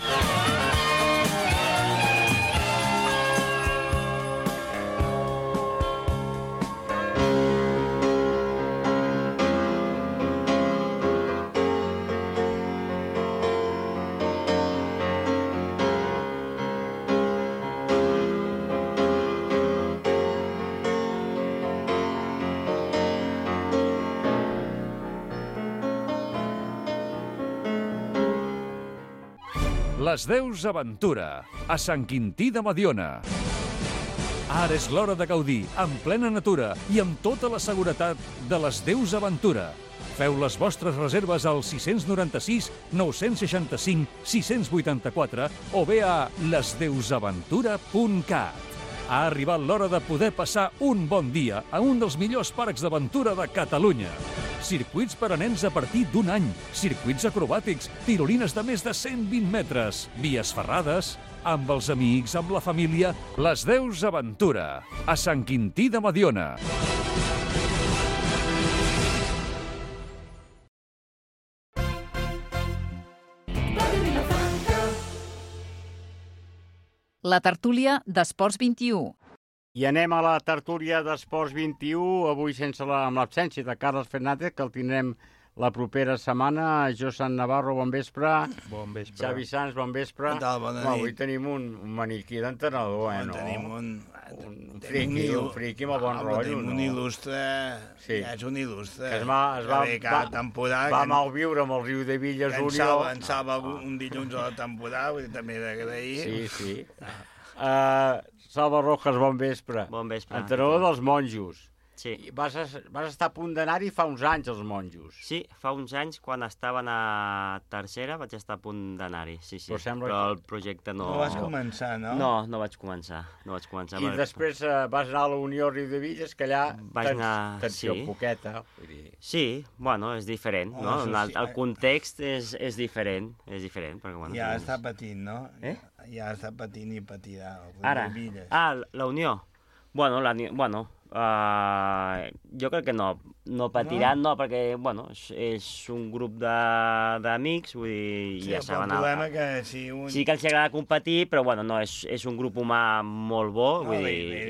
Les Deus Aventura, a Sant Quintí de Mediona. Ara és l'hora de gaudir, en plena natura i amb tota la seguretat de les Deus Aventura. Feu les vostres reserves al 696 965 684 o bé a lesdeusaventura.cat. Ha arribat l'hora de poder passar un bon dia a un dels millors parcs d'aventura de Catalunya. Circuits per a nens a partir d'un any, circuits acrobàtics, tirolines de més de 120 metres, vies ferrades, amb els amics, amb la família, Les Deus Aventura, a Sant Quintí de Mediona. La tertúlia d'Esports 21. I anem a la tertúlia d'Esports 21, avui amb l'absència de Carles Fernández, que el tindrem la propera setmana. Josan Navarro, bon vespre. Bon vespre. Xavi Sans, bon vespre. Què tal? Bona nit. Avui tenim un maniquí d'entrenador, no? Tenim un friqui amb el bon rotllo, tenim no? un il·lustre, sí. Ja és un il·lustre. Que va malviure amb el Riu de Villas Unió. En salva un dilluns a la temporada, vull dir, també d'agrair. Sí. Salva Rojas, bon vespre. Bon vespre. Entrenador dels monjos. Sí. Vas estar a punt d'anar-hi fa uns anys, els monjos. Sí, fa uns anys, quan estaven a tercera, vaig estar a punt d'anar-hi, sí. Però el projecte no... No vas començar, no? No vaig començar. I després vas anar a la Unió Riu de Villas, que allà tensió poqueta. Sí, bueno, és diferent, no? El context és diferent, perquè, bueno... Ja està patint, no? Ja està patint i patirà. Ara? La Unió? Bueno, jo crec que no patiran, no, perquè, bueno, és un grup d'amics, vull dir, ja saben... Sí, el problema que si un... Sí que els agrada competir, però, bueno, no, és un grup humà molt bo, vull dir...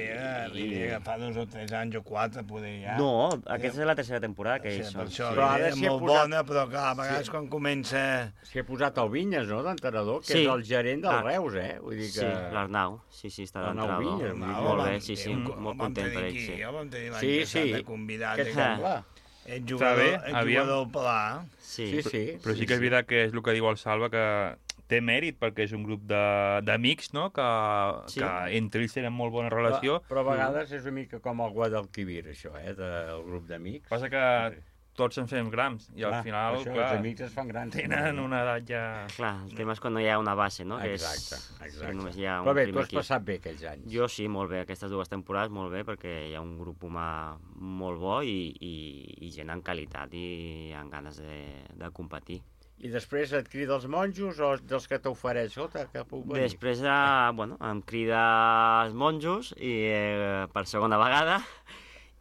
L'idea que fa 2 o 3 anys o 4, poder ja... No, aquesta és la tercera temporada que ells són. Per això, és molt bona, però clar, a vegades quan comença... S'hi ha posat el Vinyes, no?, d'entrenador, que és el gerent del Reus, Vull dir que... Sí, l'Arnau, sí, està d'entrenador. Molt bé, sí, molt content per ell, sí. Ja vam tenir l'any passat de convidat. Ets jugador pla. Sí. Però sí que és veritat que és el que diu el Salva, que té mèrit, perquè és un grup d'amics, no?, que entre ells tenen molt bona relació. Però a vegades és una mica com el Guadalquivir, això, del grup d'amics. Passa que tots ens fem grans, i al final, clar, els amics es fan grans. Tenen una edat ja... Clar, el tema és quan no hi ha una base, no? Exacte. Però bé, tu has passat bé aquells anys. Jo sí, molt bé, aquestes 2 temporades molt bé, perquè hi ha un grup humà molt bo i gent en qualitat i amb ganes de competir. I després et crida els monjos o dels que t'ofereix? Que puc venir? Després, em crida els monjos per segona vegada,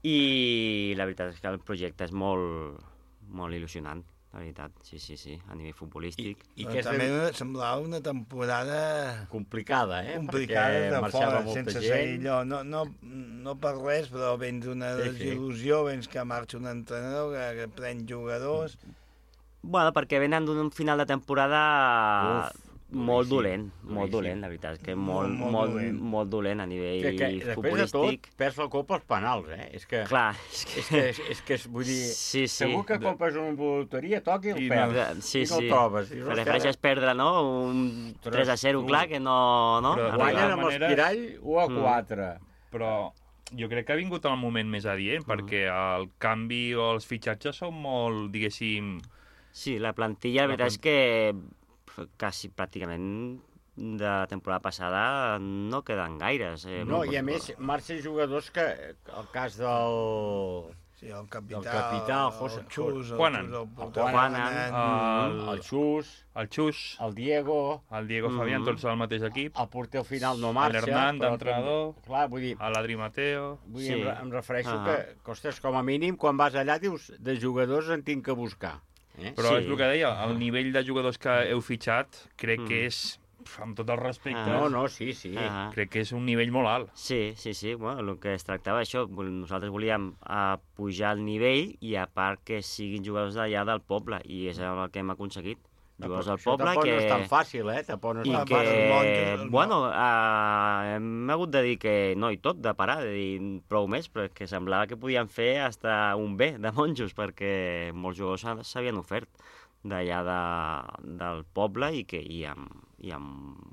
i la veritat és que el projecte és molt il·lusionant, la veritat, sí, a nivell futbolístic. Però també semblava una temporada... complicada, complicada de fora, sense ser allò. No per res, però vens d'una desil·lusió, vens que marxa un entrenador, que pren jugadors... Bueno, perquè venen d'un final de temporada... Molt dolent, la veritat, és que molt dolent a nivell futbolístic. Després de tot, perds la copa als penals, És que... Clar, és que vull dir... Sí. Segur que compres una loteria, toqui i el perds. Sí. I no el trobes. Prefereixes perdre, no? Un 3-0, clar, que no... Guanyen amb l'Espirall 1-4. Però jo crec que ha vingut el moment més adient, perquè el canvi o els fitxatges són molt, diguéssim... Sí, la plantilla, la veritat és que... quasi pràcticament de la temporada passada no queden gaires. No, i a més marxen jugadors que el cas del... Sí, el capità, el Xus, el Xus, el Diego Fabián, tots al mateix equip. El porter al final no marxa. L'Hernán, d'entrenador, vull dir, l'Adri Mateo... Em refereixo que, ostres, com a mínim, quan vas allà dius, de jugadors en tinc que buscar. Però és el que deia, el nivell de jugadors que heu fitxat crec que és, amb tot el respecte, sí. Crec que és un nivell molt alt. Sí, bueno, el que es tractava això, nosaltres volíem pujar el nivell i a part que siguin jugadors d'allà del poble, i és el que hem aconseguit. Jugadors del poble que... no és tan fàcil, I que, bueno, hem hagut de dir que no i tot, de parar, de dir prou més, perquè semblava que podien fer hasta un B de monjos, perquè molts jugadors s'havien ofert d'allà del poble i amb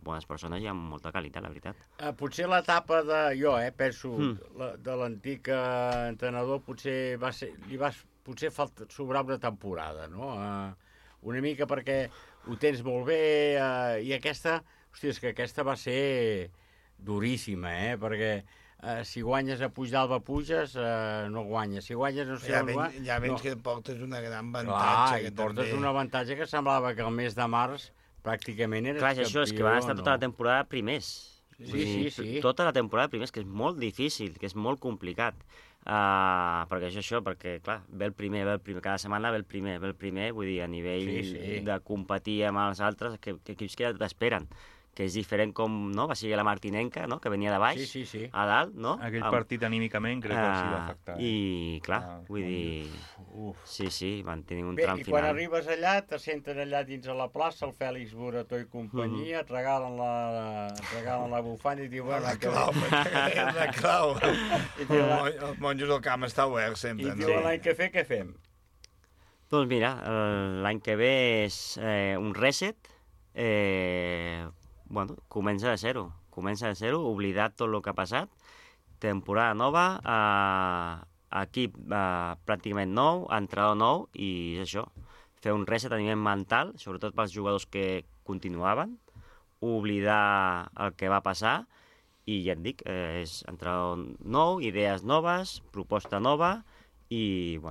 bones persones i amb molta qualitat, la veritat. Potser l'etapa penso, de l'antic entrenador, potser li vas potser sobrava una temporada, no? Una mica perquè ho tens molt bé i aquesta, hòstia, és que aquesta va ser duríssima, perquè si guanyes a Puigdàlber puges, no guanyes. Si guanyes no sé on va... Ja vens que portes una gran avantatge. Clar, i portes un avantatge que semblava que el mes de març pràcticament eres campió. Clar, això és que van estar tota la temporada primers. Sí. Tota la temporada primers, que és molt difícil, que és molt complicat. Perquè això, perquè, clar, ve el primer, cada setmana ve el primer, vull dir, a nivell de competir amb els altres, que equips que ja t'esperen, que és diferent com, no?, va ser la Martinenca, no?, que venia de baix, a dalt, no? Aquell partit anímicament crec que els hi va afectar. I, clar, vull dir... Sí, van tenir un tram final. Bé, i quan arribes allà, te senten allà dins a la plaça, el Fèlix Borató i companyia, et regalen la bufanda i diuen... La clau. Els monjos del camp està obert sempre. I diuen l'any que ve, què fem? Doncs mira, l'any que ve és un reset, comença de zero, oblidat tot el que ha passat, temporada nova, equip pràcticament nou, entrenador nou, i és això, fer un reset a nivell mental, sobretot pels jugadors que continuaven, oblidar el que va passar, i ja et dic, és entrenador nou, idees noves, proposta nova, i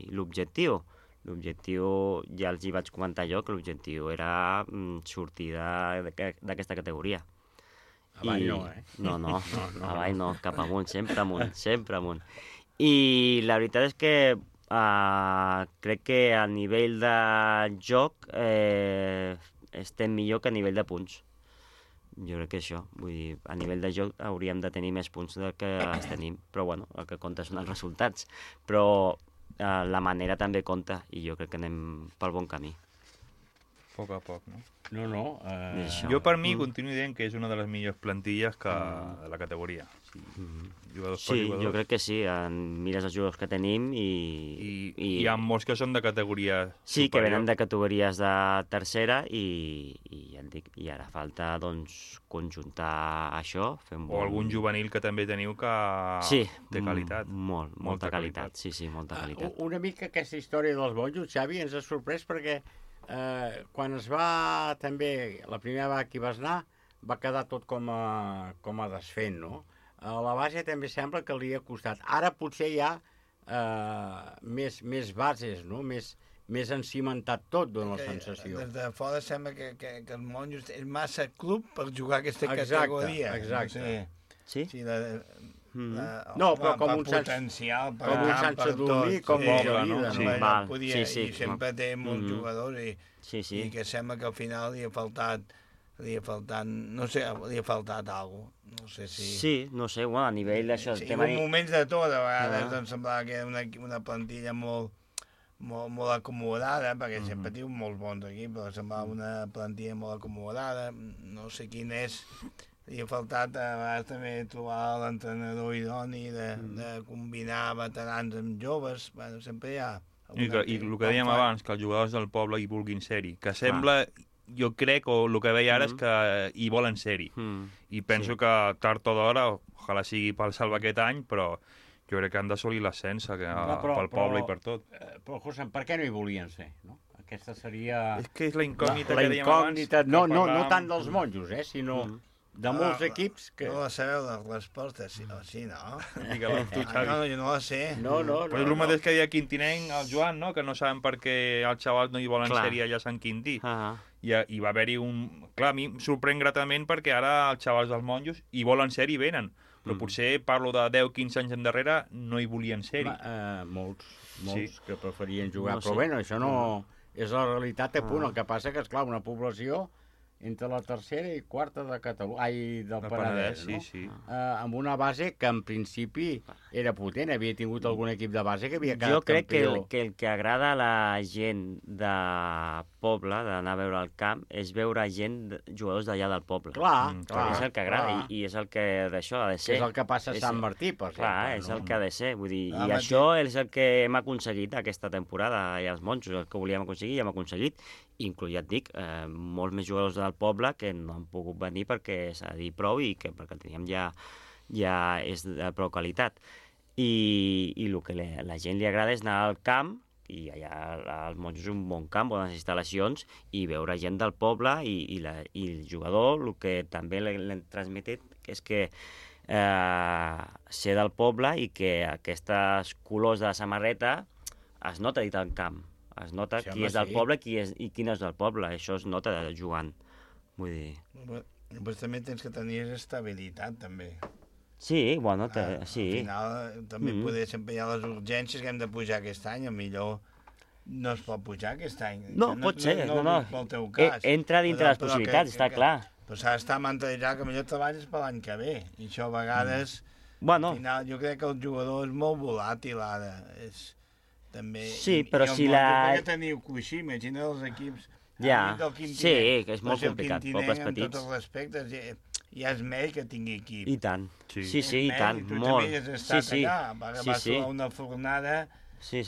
l'objectiu. L'objectiu, ja els hi vaig comentar jo, que l'objectiu era sortir d'aquesta categoria. Avall no, No, avall no, cap amunt, sempre amunt. I la veritat és que crec que a nivell de joc estem millor que a nivell de punts. Jo crec que això, vull dir, a nivell de joc hauríem de tenir més punts del que els tenim, però bueno, el que compta són els resultats. Però la manera també compta, i jo crec que anem pel bon camí. A poc a poc, no? No. Jo per mi continuo dient que és una de les millors plantilles de la categoria. Sí, jo crec que sí. Mires els jugadors que tenim i hi ha molts que són de categoria superior. Sí, que venen de categories de tercera i ja et dic, i ara falta doncs conjuntar això. O algun juvenil que també teniu que té qualitat. Molta qualitat. Sí, molta qualitat. Una mica aquesta història dels monjos, Xavi, ens ha sorprès perquè quan es va també, la primera vegada que hi vas anar, va quedar tot com a desfent, no? A la base també sembla que li ha costat. Ara potser hi ha més bases, no? Més encimentat tot, dona la sensació. Des de fora sembla que els monjos és massa club per jugar aquesta categoria. Exacte. Sí? No, però com un potencial, com un Sant Sadurní, com un Gelida. I sempre té molts jugadors i que sembla que al final li ha faltat no sé, li ha faltat alguna cosa. No sé si... Sí, no sé, bueno, a nivell d'això... Sí, moments de tot, a vegades em semblava que era una plantilla molt acomodada, perquè sempre diu molts bons equips, però semblava una plantilla molt acomodada, no sé quin és... Li ha faltat a vegades també trobar l'entrenador idoni de combinar veterans amb joves, bueno, sempre hi ha... I el que dèiem abans, que els jugadors del poble hi vulguin ser-hi, que sembla... Jo crec, o el que veia ara, és que hi volen ser-hi. I penso que tard o d'hora, ojalà sigui pel Salva aquest any, però jo crec que han d'assolir l'ascens pel poble i per tot. Però, José, per què no hi volien ser, no? Aquesta seria... És que és la incògnita que dèiem abans. No tant dels monjos, sinó de molts equips que... No la sabeu, la resposta, sí, no? Digue-la tu, Xavi. No, jo no la sé. No. Però és el mateix que deia Quintinenc, el Joan, no? Que no saben per què els xavals no hi volen ser-hi allà a Sant Quintí. I va haver-hi un... Clar, a mi em sorprèn gratament perquè ara els xavals dels monjos hi volen ser-hi i venen. Però potser parlo de 10-15 anys endarrere no hi volien ser-hi. Molts que preferien jugar. Però bé, això no... És la realitat a punt. El que passa que, esclar, una població entre la tercera i quarta de Catalunya, del Penedès, no? Sí. Amb una base que en principi era potent, havia tingut algun equip de base que havia quedat jo crec campió. que el que agrada a la gent de poble, d'anar a veure el camp, és veure jugadors d'allà del poble. Clar. És el que agrada, i és el que d'això ha de ser. És el que passa a Sant Martí, per exemple. Clar, és el que ha de ser, vull dir, i això és el que hem aconseguit aquesta temporada, i els monjos, el que volíem aconseguir, i hem aconseguit, inclús, ja et dic, molts més jugadors del poble que no han pogut venir perquè s'ha de dir prou i que perquè el teníem ja és de prou qualitat. i el que la gent li agrada és anar al camp, i allà als Monjos és un bon camp, bones instal·lacions, i veure gent del poble, i el jugador el que també l'hem transmetit és que ser del poble i que aquests colors de la samarreta es nota dit al camp, es nota qui és del poble i qui no és del poble, això es nota jugant, vull dir... Pues també tens que tenir estabilitat, també. Sí, bueno, sí. Al final també poder sempre hi ha les urgències que hem de pujar aquest any, millor no es pot pujar aquest any. No, pot ser, no. Pel teu cas. Entra dintre les possibilitats, està clar. Però s'ha d'estar mentalitzat que millor treballes per l'any que ve, i això a vegades... Bueno. Al final, jo crec que el jugador és molt volàtil ara, també... Sí, però si la... Jo crec que teniu coixí, imagina els equips... Ja, sí, que és molt complicat, pobles petits. En tots els respectes, ja és mèrit que tingui equip. I tant, sí, i tant, tu molt. Tu també has estat allà, vas a una fornada... Sí.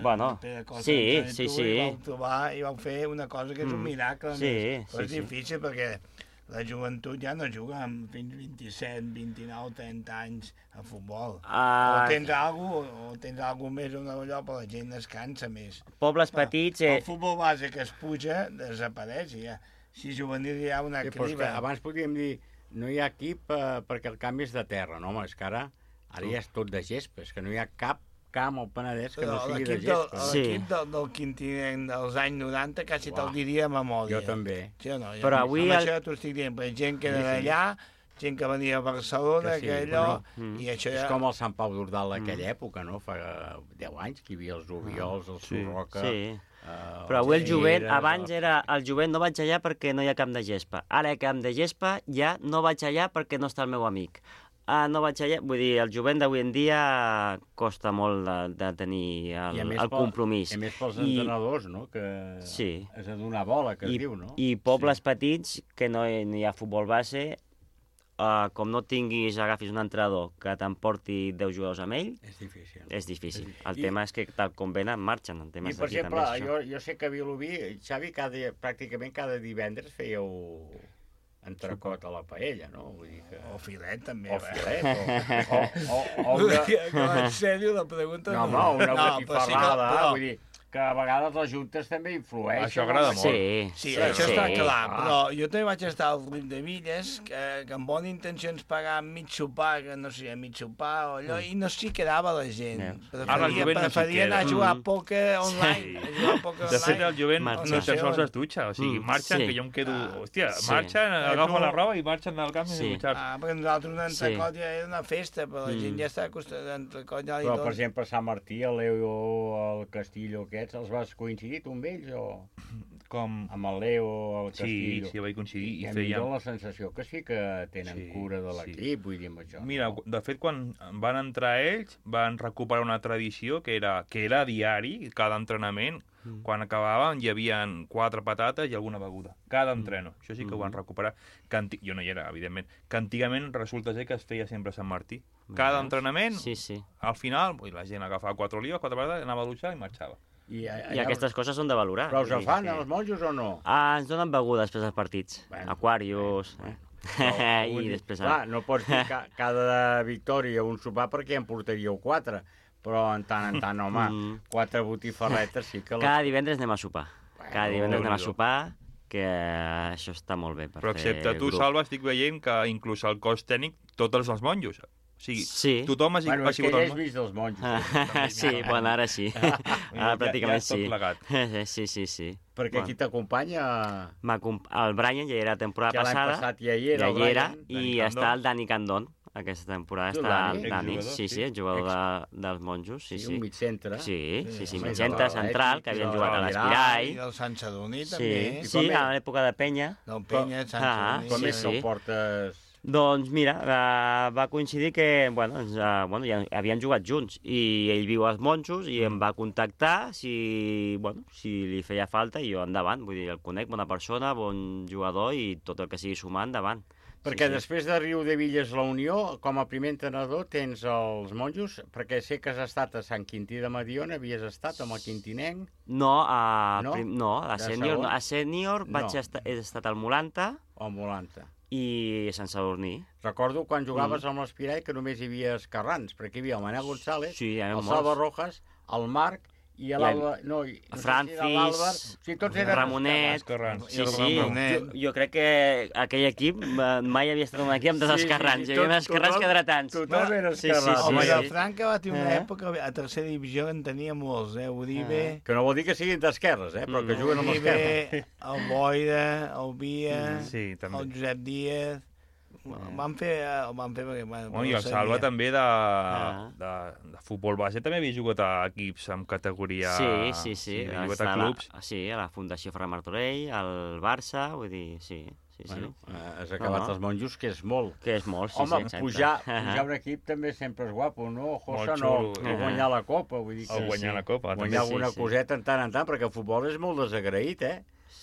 Bueno, sí. I vau trobar i vau fer una cosa que és un miracle. Però és difícil perquè la joventut ja no juga fins 27, 29, 30 anys a futbol. O tens alguna més o allò, però la gent es cansa més. Pobles petits... El futbol base que es puja desapareix, ja. Si juvenil hi ha una criba. Abans podríem dir, no hi ha equip perquè el camp és de terra, no? És que ara ja és tot de gespa, és que no hi ha cap camp al Penedès que no sigui de gespa. L'equip del Quintinenc dels anys 90 quasi te'l diria a memòria. Jo també. Sí o no? Però avui... Amb això t'ho estic dient, perquè gent que era d'allà, gent que venia a Barcelona, que allò... I això ja... És com el Sant Pau d'Ordal d'aquella època, no? Fa 10 anys que hi havia els Ubiols, el Surroca... Sí. Però avui el jovent, abans era el jovent no vaig allà perquè no hi ha camp de gespa. Ara hi ha camp de gespa, ja no vaig allà perquè no està el meu amic. No vaig allà, vull dir, el jovent d'avui en dia costa molt de tenir el compromís. I a més pels entrenadors, no? Que és a donar bola, que es diu, no? I pobles petits, que no hi ha futbol base, com no tinguis, agafis un entrenador que t'emporti 10 jugadors amb ell, és difícil. El tema és que tal com venen, marxen. I, per exemple, jo sé que a Vilobí, Xavi, pràcticament cada divendres fèieu... entrecot a la paella, no? Vull dir que... O filet, també. O filet, En sèrio, la pregunta... No, una botifarrada, vull dir... que a vegades les juntes també influeixen. Això agrada molt. Sí, això està clar, però jo també vaig estar al Riu de Villes, que amb bones intencions pagar mig sopar, que no sé, mig sopar o allò, i no s'hi quedava la gent. Preferia anar a jugar a pòquer online. De fet, el jovent no tan sols es dutxa, o sigui, marxen, que jo em quedo... Hòstia, marxen, agafen la roba i marxen del camp sense dutxar-se. Perquè nosaltres un entrecot ja era una festa, però la gent ja està acostumada a entrecot. Però, per exemple, Sant Martí, a Leo, al Castillo, els vas coincidir tu amb ells o...? Com? Amb el Leo, el Castillo. Sí, vaig coincidir. I millor la sensació que sí que tenen cura de l'equip, vull dir amb això. Mira, de fet, quan van entrar ells, van recuperar una tradició que era diari, cada entrenament. Quan acabàvem hi havia 4 patates i alguna beguda. Cada entreno. Això sí que ho van recuperar. Jo no hi era, evidentment. Que antigament resulta ser que es feia sempre a Sant Martí. Cada entrenament, al final, la gent agafava 4 olives, 4 patates, anava a dutxar i marxava. I aquestes coses són de valorar. Però us en fan, els monjos, o no? Ens donen begudes després dels partits. Aquarius... I després... Clar, no pots dir cada victòria un sopar perquè en portaríeu 4, però en tant, home, 4 botifarretes sí que... Cada divendres anem a sopar. Cada divendres anem a sopar, que això està molt bé per fer grup. Però excepte tu, Salva, estic veient que inclús el cos tècnic, tots els monjos... O sigui, tothom ha sigut... Bueno, és que ja has vist els monjos. Sí, bueno, ara sí. Ara pràcticament sí. Sí. Perquè qui t'acompanya... El Brian ja era la temporada passada. L'any passat ja hi era. I està el Dani Candón. Aquesta temporada està el Dani. Sí, el jugador dels monjos. Sí, un mitcentre. Sí, mitcentre central, que havien jugat a l'Espirall. I del Sant Sadurní, també. Sí, a l'època de Penya. Del Penya, Sant Sadurní. Com és que el portes... Doncs mira, va coincidir que ja havien jugat junts i ell viu als Monjos i em va contactar si li feia falta i jo endavant, vull dir, el conec, bona persona, bon jugador i tot el que sigui sumar endavant. Perquè després de Riu de Villes la Unió, com a primer entrenador tens els Monjos, perquè sé que has estat a Sant Quintí de Mediona, havies estat amb el Quintinenc? No, a sènior vaig estar, he estat al Molanta. O al Molanta. i Sant Sadurní. Recordo quan jugaves amb l'Espirall que només hi havia esquerrans, perquè hi havia el Manel González, el molts. Salva Rojas, el Marc i l'Alba... No, Francis, tots eren Ramonet... Jo crec que aquell equip mai havia estat un equip amb dos esquerrans. Hi havia esquerrans que dretans. Tothom era esquerrans. Home, Vilafranca va tenir una època, a tercera divisió en tenia molts, Uribe... Que no vol dir que siguin d'esquerres, però que juguen amb l'esquerra. El Boira, el Via, el Josep Díaz... Van fer perquè... I el Salva també de futbol base també havia jugat a equips amb categoria... Sí. Havia jugat a clubs. Sí, a la Fundació Ferran Martorell, al Barça, vull dir, sí. Has acabat els monjos, que és molt. Que és molt, sí. Home, pujar un equip també sempre és guapo, no? Josa no, guanyar la Copa, vull dir que... Guanyar la Copa, també. Guanyar alguna coseta en tant, perquè el futbol és molt desagraït,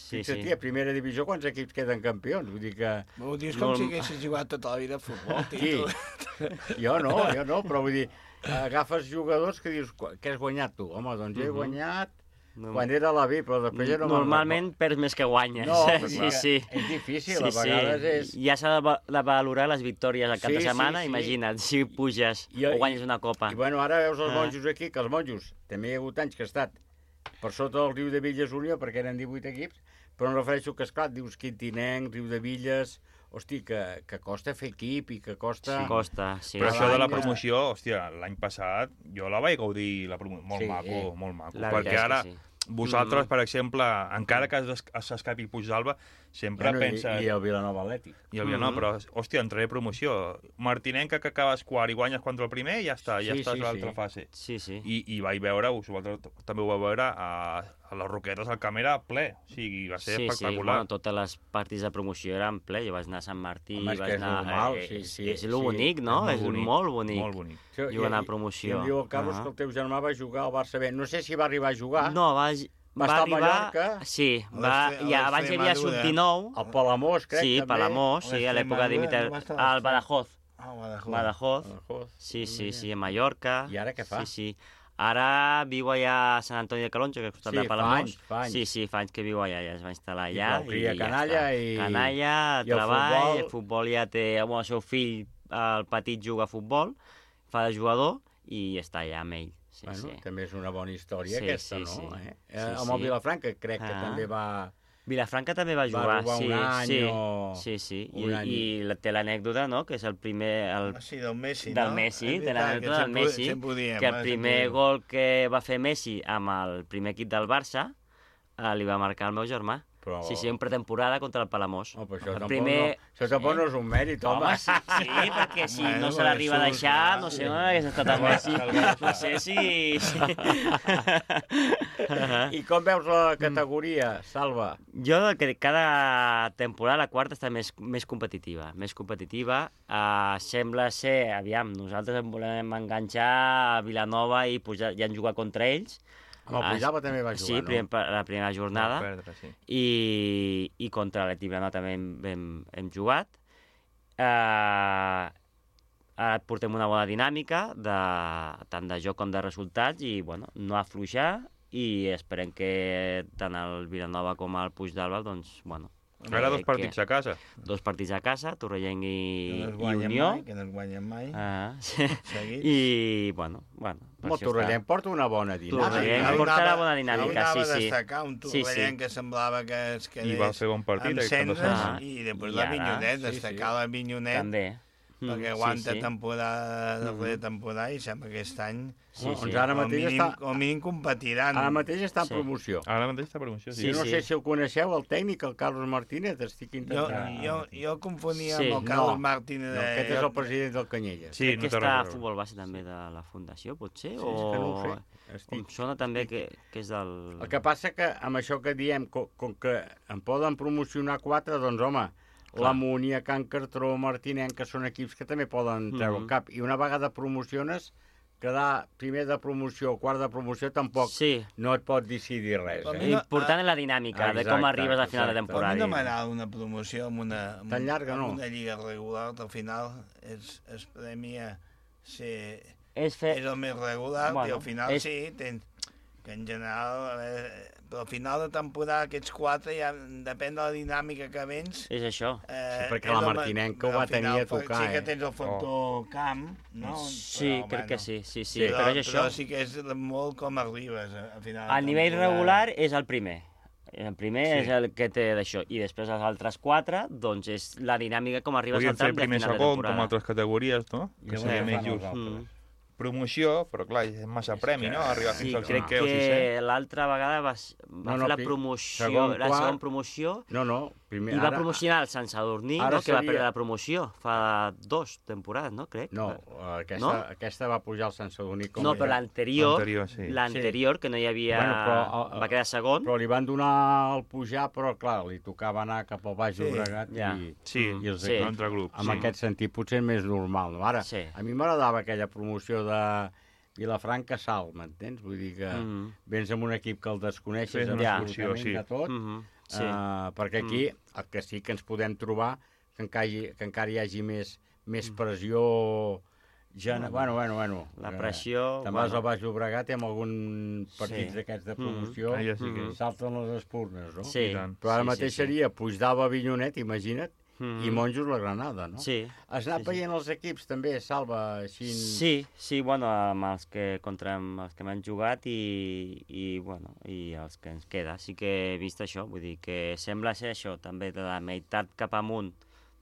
Fixa't, a primera divisió quants equips queden campions? Vull dir que... Ho dius com si haguessis jugat tota la vida a futbol, tio. Jo no, però vull dir, agafes jugadors que dius, què has guanyat tu? Home, doncs jo he guanyat quan era a la B, però després ja no... Normalment perds més que guanyes. No, sí. És difícil, a vegades és... Ja s'ha de valorar les victòries al cap de setmana, imagina't, si puges o guanyes una copa. I bueno, ara veus els monjos aquí, que els monjos, també hi ha hagut anys que ha estat per sota del Riu de Villes Unió, perquè eren 18 equips, però em refereixo que, esclar, dius Quintinenc, Riu de Villes... Hosti, que costa fer equip i que costa... Sí, costa, sí. Però això de la promoció, hòstia, l'any passat jo la vaig gaudir, molt maco. Perquè ara vosaltres, per exemple, encara que s'escapi Puigdàlber, sempre pensa... I el Vilanova Atlètic. I el Vilanova, però, hòstia, entraré promoció. Martinenca, que acabes quart i guanyes contra el primer, ja està, ja estàs a l'altra fase. Sí. I vaig veure, vosaltres també ho vau veure, a les Roquetes el camp era ple, o sigui, va ser espectacular. Sí, bueno, totes les partits de promoció eren ple, jo vaig anar a Sant Martí, vaig anar... És lo bonic, no? És molt bonic. Molt bonic. Jugant a promoció. I em diu el Carlos que el teu germà va jugar al Barça B. No sé si va arribar a jugar. No, va estar a Mallorca. Sí, abans hi havia sub-19. Al Palamós, crec, també. Sí, Palamós, sí, a l'època d'imitar... Al Badajoz. Badajoz. Sí, a Mallorca. I ara què fa? Sí. Ara viu allà a Sant Antoni de Calonge, que és costat de Palamós. Fa anys. Sí, fa anys que viu allà, ja es va instal·lar allà. I canalla i... Canalla, treball, el futbol ja té... El seu fill, el petit, juga a futbol, fa de jugador i està allà amb ell. També és una bona història aquesta, no? Amb el Vilafranca crec que també va... Vilafranca també va jugar, un any sí. I té l'anècdota, no?, que és el primer... del Messi, no? Del Messi, té l'anècdota del Messi, que el primer gol que va fer Messi amb el primer equip del Barça li va marcar el meu germà. Sí, en pretemporada contra el Palamós. Això tampoc no és un mèrit, home. Sí, perquè si no se l'arriba a deixar, no sé on hagués estat el Messi. No sé si... I com veus la categoria, Salva? Jo que cada temporada la quarta està més competitiva. Sembla ser, aviam, nosaltres volem enganxar a Vilanova i ja han jugat contra ells. Amb el Puigdàlber també va jugar, no? Sí, la primera jornada. I contra l'Atlètic Vilanova també hem jugat. Ara portem una bona dinàmica, tant de joc com de resultats, i no afluixar, i esperem que tant el Vilanova com el Puigdàlber, doncs, Ara 2 partits a casa. 2 partits a casa, Torrellenc i Unió. Que no es guanyen mai. I, el Torrellenc porta una bona dinàmica. Torrellenc porta una bona dinàmica, sí. Anava a destacar un Torrellenc que semblava que es quedés... I va fer bon partit. Amb cendres, i després la Vinyonet, destacar la Vinyonet. També. Perquè aguanta temporada darrere temporada i sembla que aquest any ara mateix com mínim competiran. Ara mateix està en promoció. Ara mateix està en promoció, sí. No sé si el coneixeu, el tècnic, el Carlos Martínez, estic intentant... Jo el confonia amb el Carlos Martínez. Aquest és el president del Canyelles. Crec que està a futbol base també de la Fundació, potser? Sí, és que no ho sé. Em sona també que és del... El que passa que amb això que diem, com que en poden promocionar 4, doncs home... La Múnia, Can Cartró, Martinenc, que són equips que també poden treure el cap. I una vegada promociones, quedar primer de promoció o quart de promoció tampoc no et pot decidir res. L'important és la dinàmica, de com arribes al final de temporada. A mi no m'agrada una promoció amb una lliga regular, al final es premia ser... És el més regular i al final sí, que en general, però al final de temporada aquests 4 ja depèn de la dinàmica que vens. És això. Sí, perquè la Martinenca ho va tenir a tocar, Sí que tens el factor camp, no? Sí, però, crec que sí, però és això. Però sí que és molt com arribes al final. A nivell regular és el primer. El primer és el que té d'això. I després els altres 4, doncs és la dinàmica com arribes al tram de final de temporada. Podríem fer primer segon, com altres categories, no? Que seria més just. Promoció, però clar, és massa premi, no? Arribar fins al 5è o 6è. Crec que l'altra vegada va fer la promoció, la segona promoció, primer, i va promocionar el Sant Sadurní, no? Que va perdre la promoció fa 2 temporades, no? Crec. No, aquesta va pujar al Sant Sadurní. No, però l'anterior, que no hi havia... va quedar segon. Però li van donar el pujar, però clar, li tocava anar cap al Baix Llobregat i els altre grup. En aquest sentit, potser és més normal. Ara, a mi m'agradava aquella promoció de Vilafranca Salt, m'entens? Vull dir que vens amb un equip que el desconeixes absolutament de tot, perquè aquí el que sí que ens podem trobar que encara hi hagi més pressió. Bueno. La pressió... Te'n vas al Baix Llobregat i amb algun partits d'aquests de promoció salten les espurnes, no? Sí. Però ara mateix seria Puigdàlber, Avinyonet, imagina't, i Monjos la Granada, no? Sí. Has anat veient els equips també, Salva, així... Sí, bueno, amb els que m'han jugat i els que ens queda. Sí que he vist això, vull dir que sembla ser això, també de la meitat cap amunt,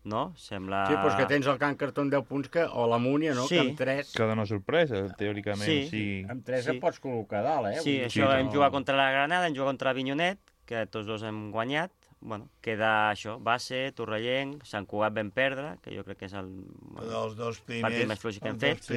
no? Sembla... Sí, doncs que tens el Can Cartó amb 10 punts, o la Múnia, no? Que amb 3... Que dona sorpresa, teòricament. Sí. Amb 3 et pots col·locar dalt, eh? Sí, això hem jugat contra la Granada, hem jugat contra Avinyonet, que tots dos hem guanyat. Bueno, queda això, Base, Torrellenc, Sant Cugat vam perdre, que jo crec que és el els dos partit més fluix que hem fet.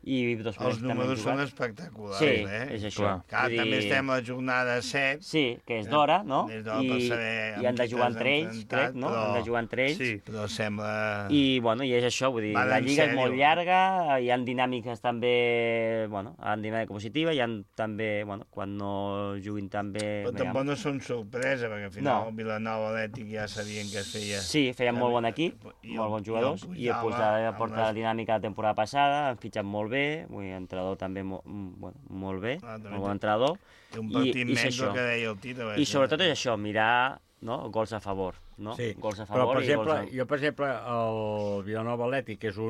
I dos els números són espectaculars, sí, és això. També estem a la jornada 7. Sí, que és d'hora, no? I han de jugar entre ells, crec, no? Han de jugar entre ells. Sí, però sembla... I és això, vull dir, la lliga és molt llarga, hi ha dinàmiques també, en dinàmica positiva, hi ha també, quan no juguin també... Però tampoc no són sorpresa, perquè al final Vilanova Atlètic ja sabien que es feia... Sí, feien molt bon equip, molt bons jugadors, i el Puigdàlber porta la dinàmica de la temporada passada, han fitxat molt bé, l'entrenador també molt bé, molt bon entrenador. Un partit menys del que deia el Tito. I sobretot és això, mirar gols a favor, no? Sí, gols a favor però per exemple, el Vilanova Atlètic és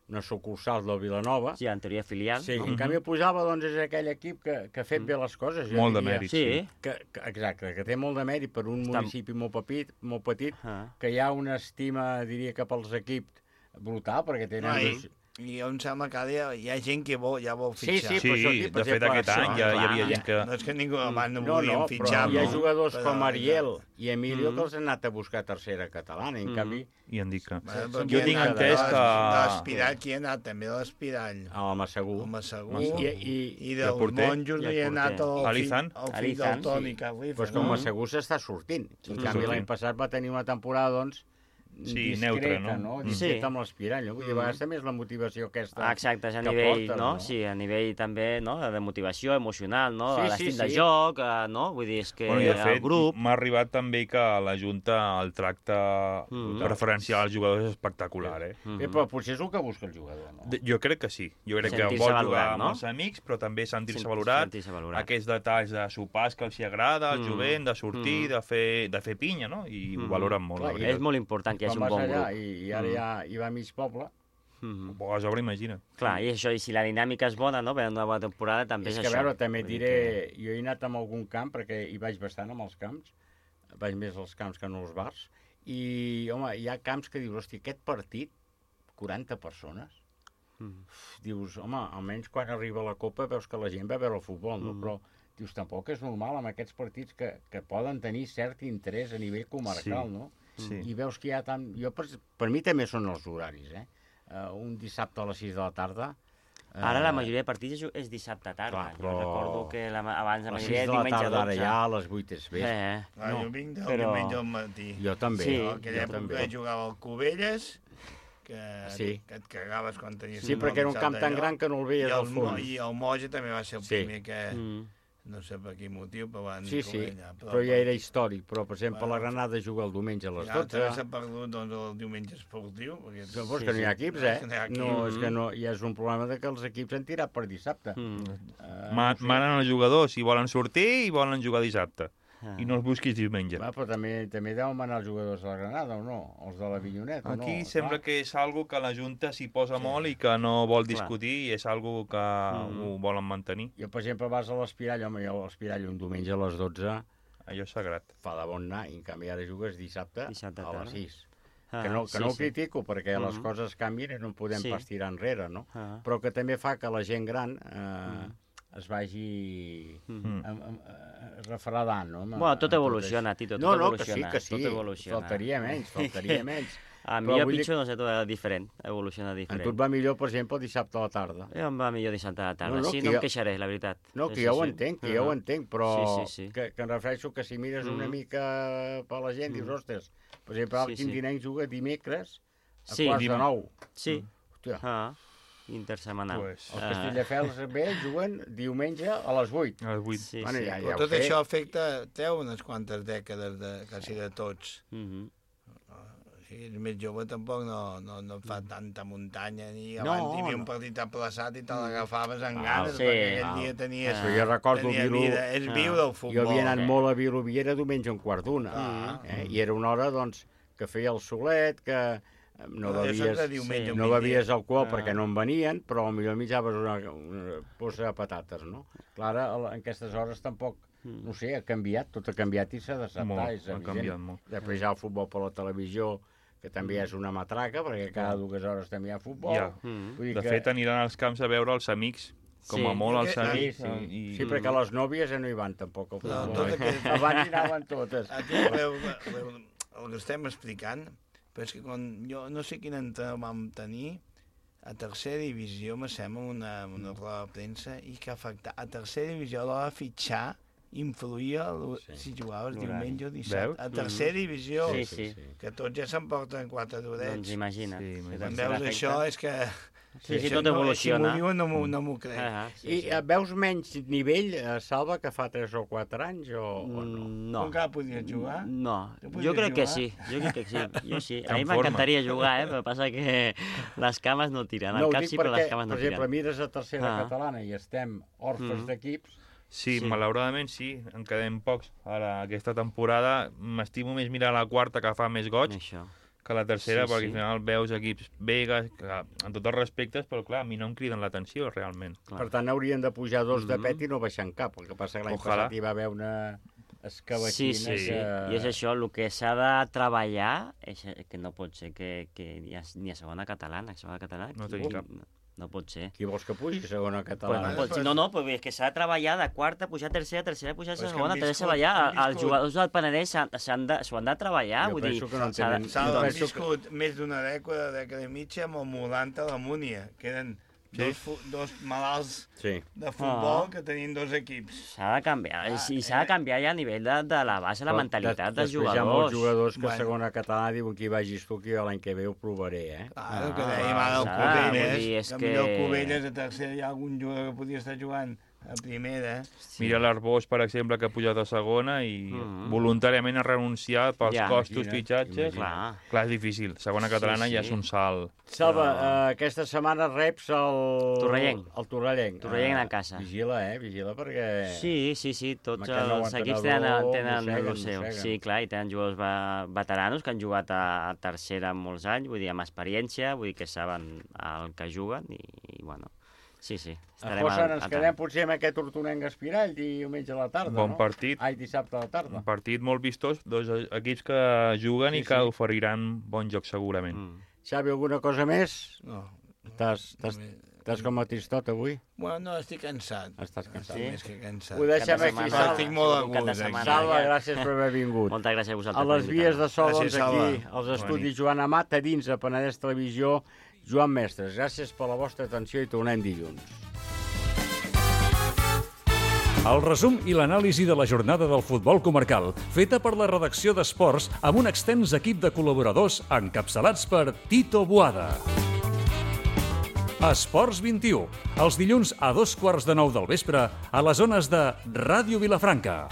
una sucursal del Vilanova. Sí, en teoria filial. Sí, en canvi el Puigdàlber és aquell equip que ha fet bé les coses. Molt de mèrit, sí. Exacte, que té molt de mèrit per un municipi molt petit, que hi ha una estima, diria, cap als equips brutal, perquè tenen... I em sembla que hi ha gent que ja vol fitxar. Sí, de fet aquest any ja hi havia gent que... No és que ningú abans no volien fitxar. Hi ha jugadors com Ariel i Emilio que els han anat a buscar tercera catalana, en canvi... I han dit que... Jo tinc entès que... L'Espirall, qui ha anat? També l'Espirall. El Massagú. I del Monjos hi ha anat el fill del Toni Carlifa. Doncs com Massagú s'està sortint. En canvi l'any passat va tenir una temporada, doncs, discreta, no? Discreta amb l'Espirall, no? Vull dir, a vegades també és la motivació aquesta exacte, a nivell, no? Sí, a nivell també, no? De motivació emocional, no? L'estil de joc, no? Vull dir, és que el grup... M'ha arribat també que a la Junta el tracte preferencial als jugadors és espectacular, Però potser és el que busca el jugador, no? Jo crec que sí. Jo crec que vol jugar amb els amics, però també sentir-se valorat. Aquests detalls de sopars que els agrada, el jovent, de sortir, de fer pinya, no? I ho valoren molt. És molt important que hi hagi un bon grup. I ara ja hi va mig poble. A sobre, imagina't. Clar, i això, i si la dinàmica és bona, no? Per una bona temporada també és això. És que a veure, també et diré, jo he anat amb algun camp, perquè hi vaig bastant amb els camps, vaig més als camps que no als bars, i, home, hi ha camps que dius, hosti, aquest partit, 40 persones, dius, home, almenys quan arriba la Copa veus que la gent va a veure el futbol, no? Però dius, tampoc és normal amb aquests partits que poden tenir cert interès a nivell comarcal, no? I veus que hi ha tant... Per mi també són els horaris, un dissabte a les 6 de la tarda... Ara la majoria de partits és dissabte a tarda. Jo recordo que abans la majoria era diumenge a 12. Ara ja a les 8 és bé. Jo vinc del diumenge al matí. Jo també. Aquella època jugava al Cubelles, que et cagaves quan tenies... Sí, perquè era un camp tan gran que no el veies al fons. I el Moja també va ser el primer que... no sé per quin motiu, però van Sí, però ja era històric. Però, per exemple, la Granada juga el diumenge a les 12. També s'ha perdut el diumenge esportiu. És que no hi ha equips, No, és que no, ja és un problema que els equips han tirat per dissabte. Manen els jugadors, si volen sortir i volen jugar dissabte. I no els busquis diumenge. Però també deuen manar els jugadors de la Granada, o no? Els de la Vinyoneta, Aquí sembla que és algo que la Junta s'hi posa molt i que no vol discutir i és algo que ho volen mantenir. Jo, per exemple, vas a l'Espirall, home, jo a l'Espirall un diumenge a les 12... Allò és sagrat. Fa de bon anar, i en canvi ara jugues dissabte a les 6. Ah, que no sí, ho sí. critico, perquè les coses canvien i no en podem pas tirar enrere, no? Però que també fa que la gent gran es vagi refredant, no? Bueno, tot evoluciona, Tito, tot evoluciona. Que sí, faltaria menys. A mi el pitjor, no sé, tot diferent, evoluciona diferent. A tu et va millor, per exemple, dissabte a la tarda. Em va millor dissabte a la tarda, sí, no em queixaré, la veritat. No, que ja ho entenc, però que em refereixo que si mires una mica per la gent, dius, ostres, per exemple, el Quintinenc juga dimecres a quarts de 9. Sí, intersetmanal. Els Castelldefels bé juguen diumenge a les 8. A les 8. Sí, però tot això treu unes quantes dècades quasi de tots. Si ets més jove tampoc no fa tanta muntanya ni abans hi havia un partit aplaçat i te l'agafaves amb ganes perquè aquell dia tenies jo recordo vida. És viure el futbol. Jo havia anat molt a Viloviera diumenge a un quart d'una i era una hora doncs que feia el solet, que no bevies alcohol perquè no en venien, però potser menjaves una posa de patates, no? Clar, en aquestes hores tampoc, no sé, ha canviat, tot ha canviat i s'ha d'acceptar, és evident. Després hi ha el futbol per la televisió, que també és una matraca, perquè cada 2 hores també hi ha futbol. De fet, aniran als camps a veure els amics, com a molt els amics. Sí, perquè les nòvies ja no hi van tampoc al futbol. Abans hi anaven totes. El que estem explicant, però és que quan jo no sé quin entrenador vam tenir, a tercera divisió, me sembla, una roda de premsa, i que a tercera divisió a l'hora de fitxar influïa si jugaves diumenge o dissabte. A tercera divisió, que tots ja s'emporten 4 d'orets. Doncs imagina't. Quan veus això és que... Sí, tot evoluciona. Si m'ho diuen no m'ho crec. I veus menys nivell, Salva, que fa 3 o 4 anys o no? No. Tu encara podies jugar? No, jo crec que sí. Jo sí. A mi m'encantaria jugar, però passa que les cames no tiren. El cap sí, però les cames no tiren. Per exemple, mires a tercera catalana i estem orfes d'equips. Sí, malauradament sí, en quedem pocs. Ara, aquesta temporada, m'estimo més mirar la quarta, que fa més goig, que la tercera, perquè al final veus equips vegas, en tots els respectes, però clar, a mi no em criden l'atenció, realment. Per tant, haurien de pujar 2 de pet i no baixar en cap, el que passa que l'any passat hi va haver una escabatxina. Sí, i és això, el que s'ha de treballar, és que no pot ser que ni a segona catalana, no tenim cap. No pot ser. Qui vols que pugi a segona catalana? No, però és que s'ha de treballar de quarta, pujar a tercera, pujar a segona, tercera ballar. Els jugadors del Penedès s'ho han de treballar. Jo penso que no en tenen... S'han viscut més d'una dècada i mitja amb el Molanta a la Múnia, que eren dos malalts de futbol que tenien 2 equips. S'ha de canviar, i s'ha de canviar ja a nivell de la base, la mentalitat dels jugadors. Després hi ha molts jugadors que a segona catalana diuen que hi vagis tu, que l'any que ve ho provaré, Claro, que dèiem ara el Cubelles, que millor el Cubelles a tercera hi ha algun jugador que podia estar jugant a primera. Mira l'Arbós, per exemple, que ha pujat a segona i voluntàriament ha renunciat pels costos fitxatges. Clar, és difícil. Segona catalana ja és un salt. Salva, aquesta setmana reps el Torrellenc. Torrellenc a casa. Vigila, vigila perquè... Sí, tots els equips tenen el seu. Sí, clar, i tenen jugadors veteranos que han jugat a tercera molts anys, vull dir, amb experiència, vull dir que saben el que juguen i bueno... Sí. A Fossa ens quedem potser amb aquest Hortonenc Espirall diumenge a la tarda, no? Bon partit. Dissabte a la tarda. Un partit molt vistós, 2 equips que juguen i que oferiran bon joc segurament. Xavi, alguna cosa més? No. Estàs com a tristot avui? Bueno, no, estic cansat. Estàs cansat? Sí, més que cansat. Ho deixem aquí, Salva. Estic molt agut. Salva, gràcies per haver vingut. Moltes gràcies a vosaltres. A les vies de so, doncs aquí, als estudis Joan Amat, a dins a Penedès Televisió, Joan Mestres. Gràcies per la vostra atenció i tornem dilluns. El resum i l'anàlisi de la jornada del futbol comarcal, feta per la redacció d'Esports amb un extens equip de col·laboradors encapçalats per Tito Boada. Esports 21, els dilluns a 2:15 del vespre a les zones de Ràdio Vilafranca.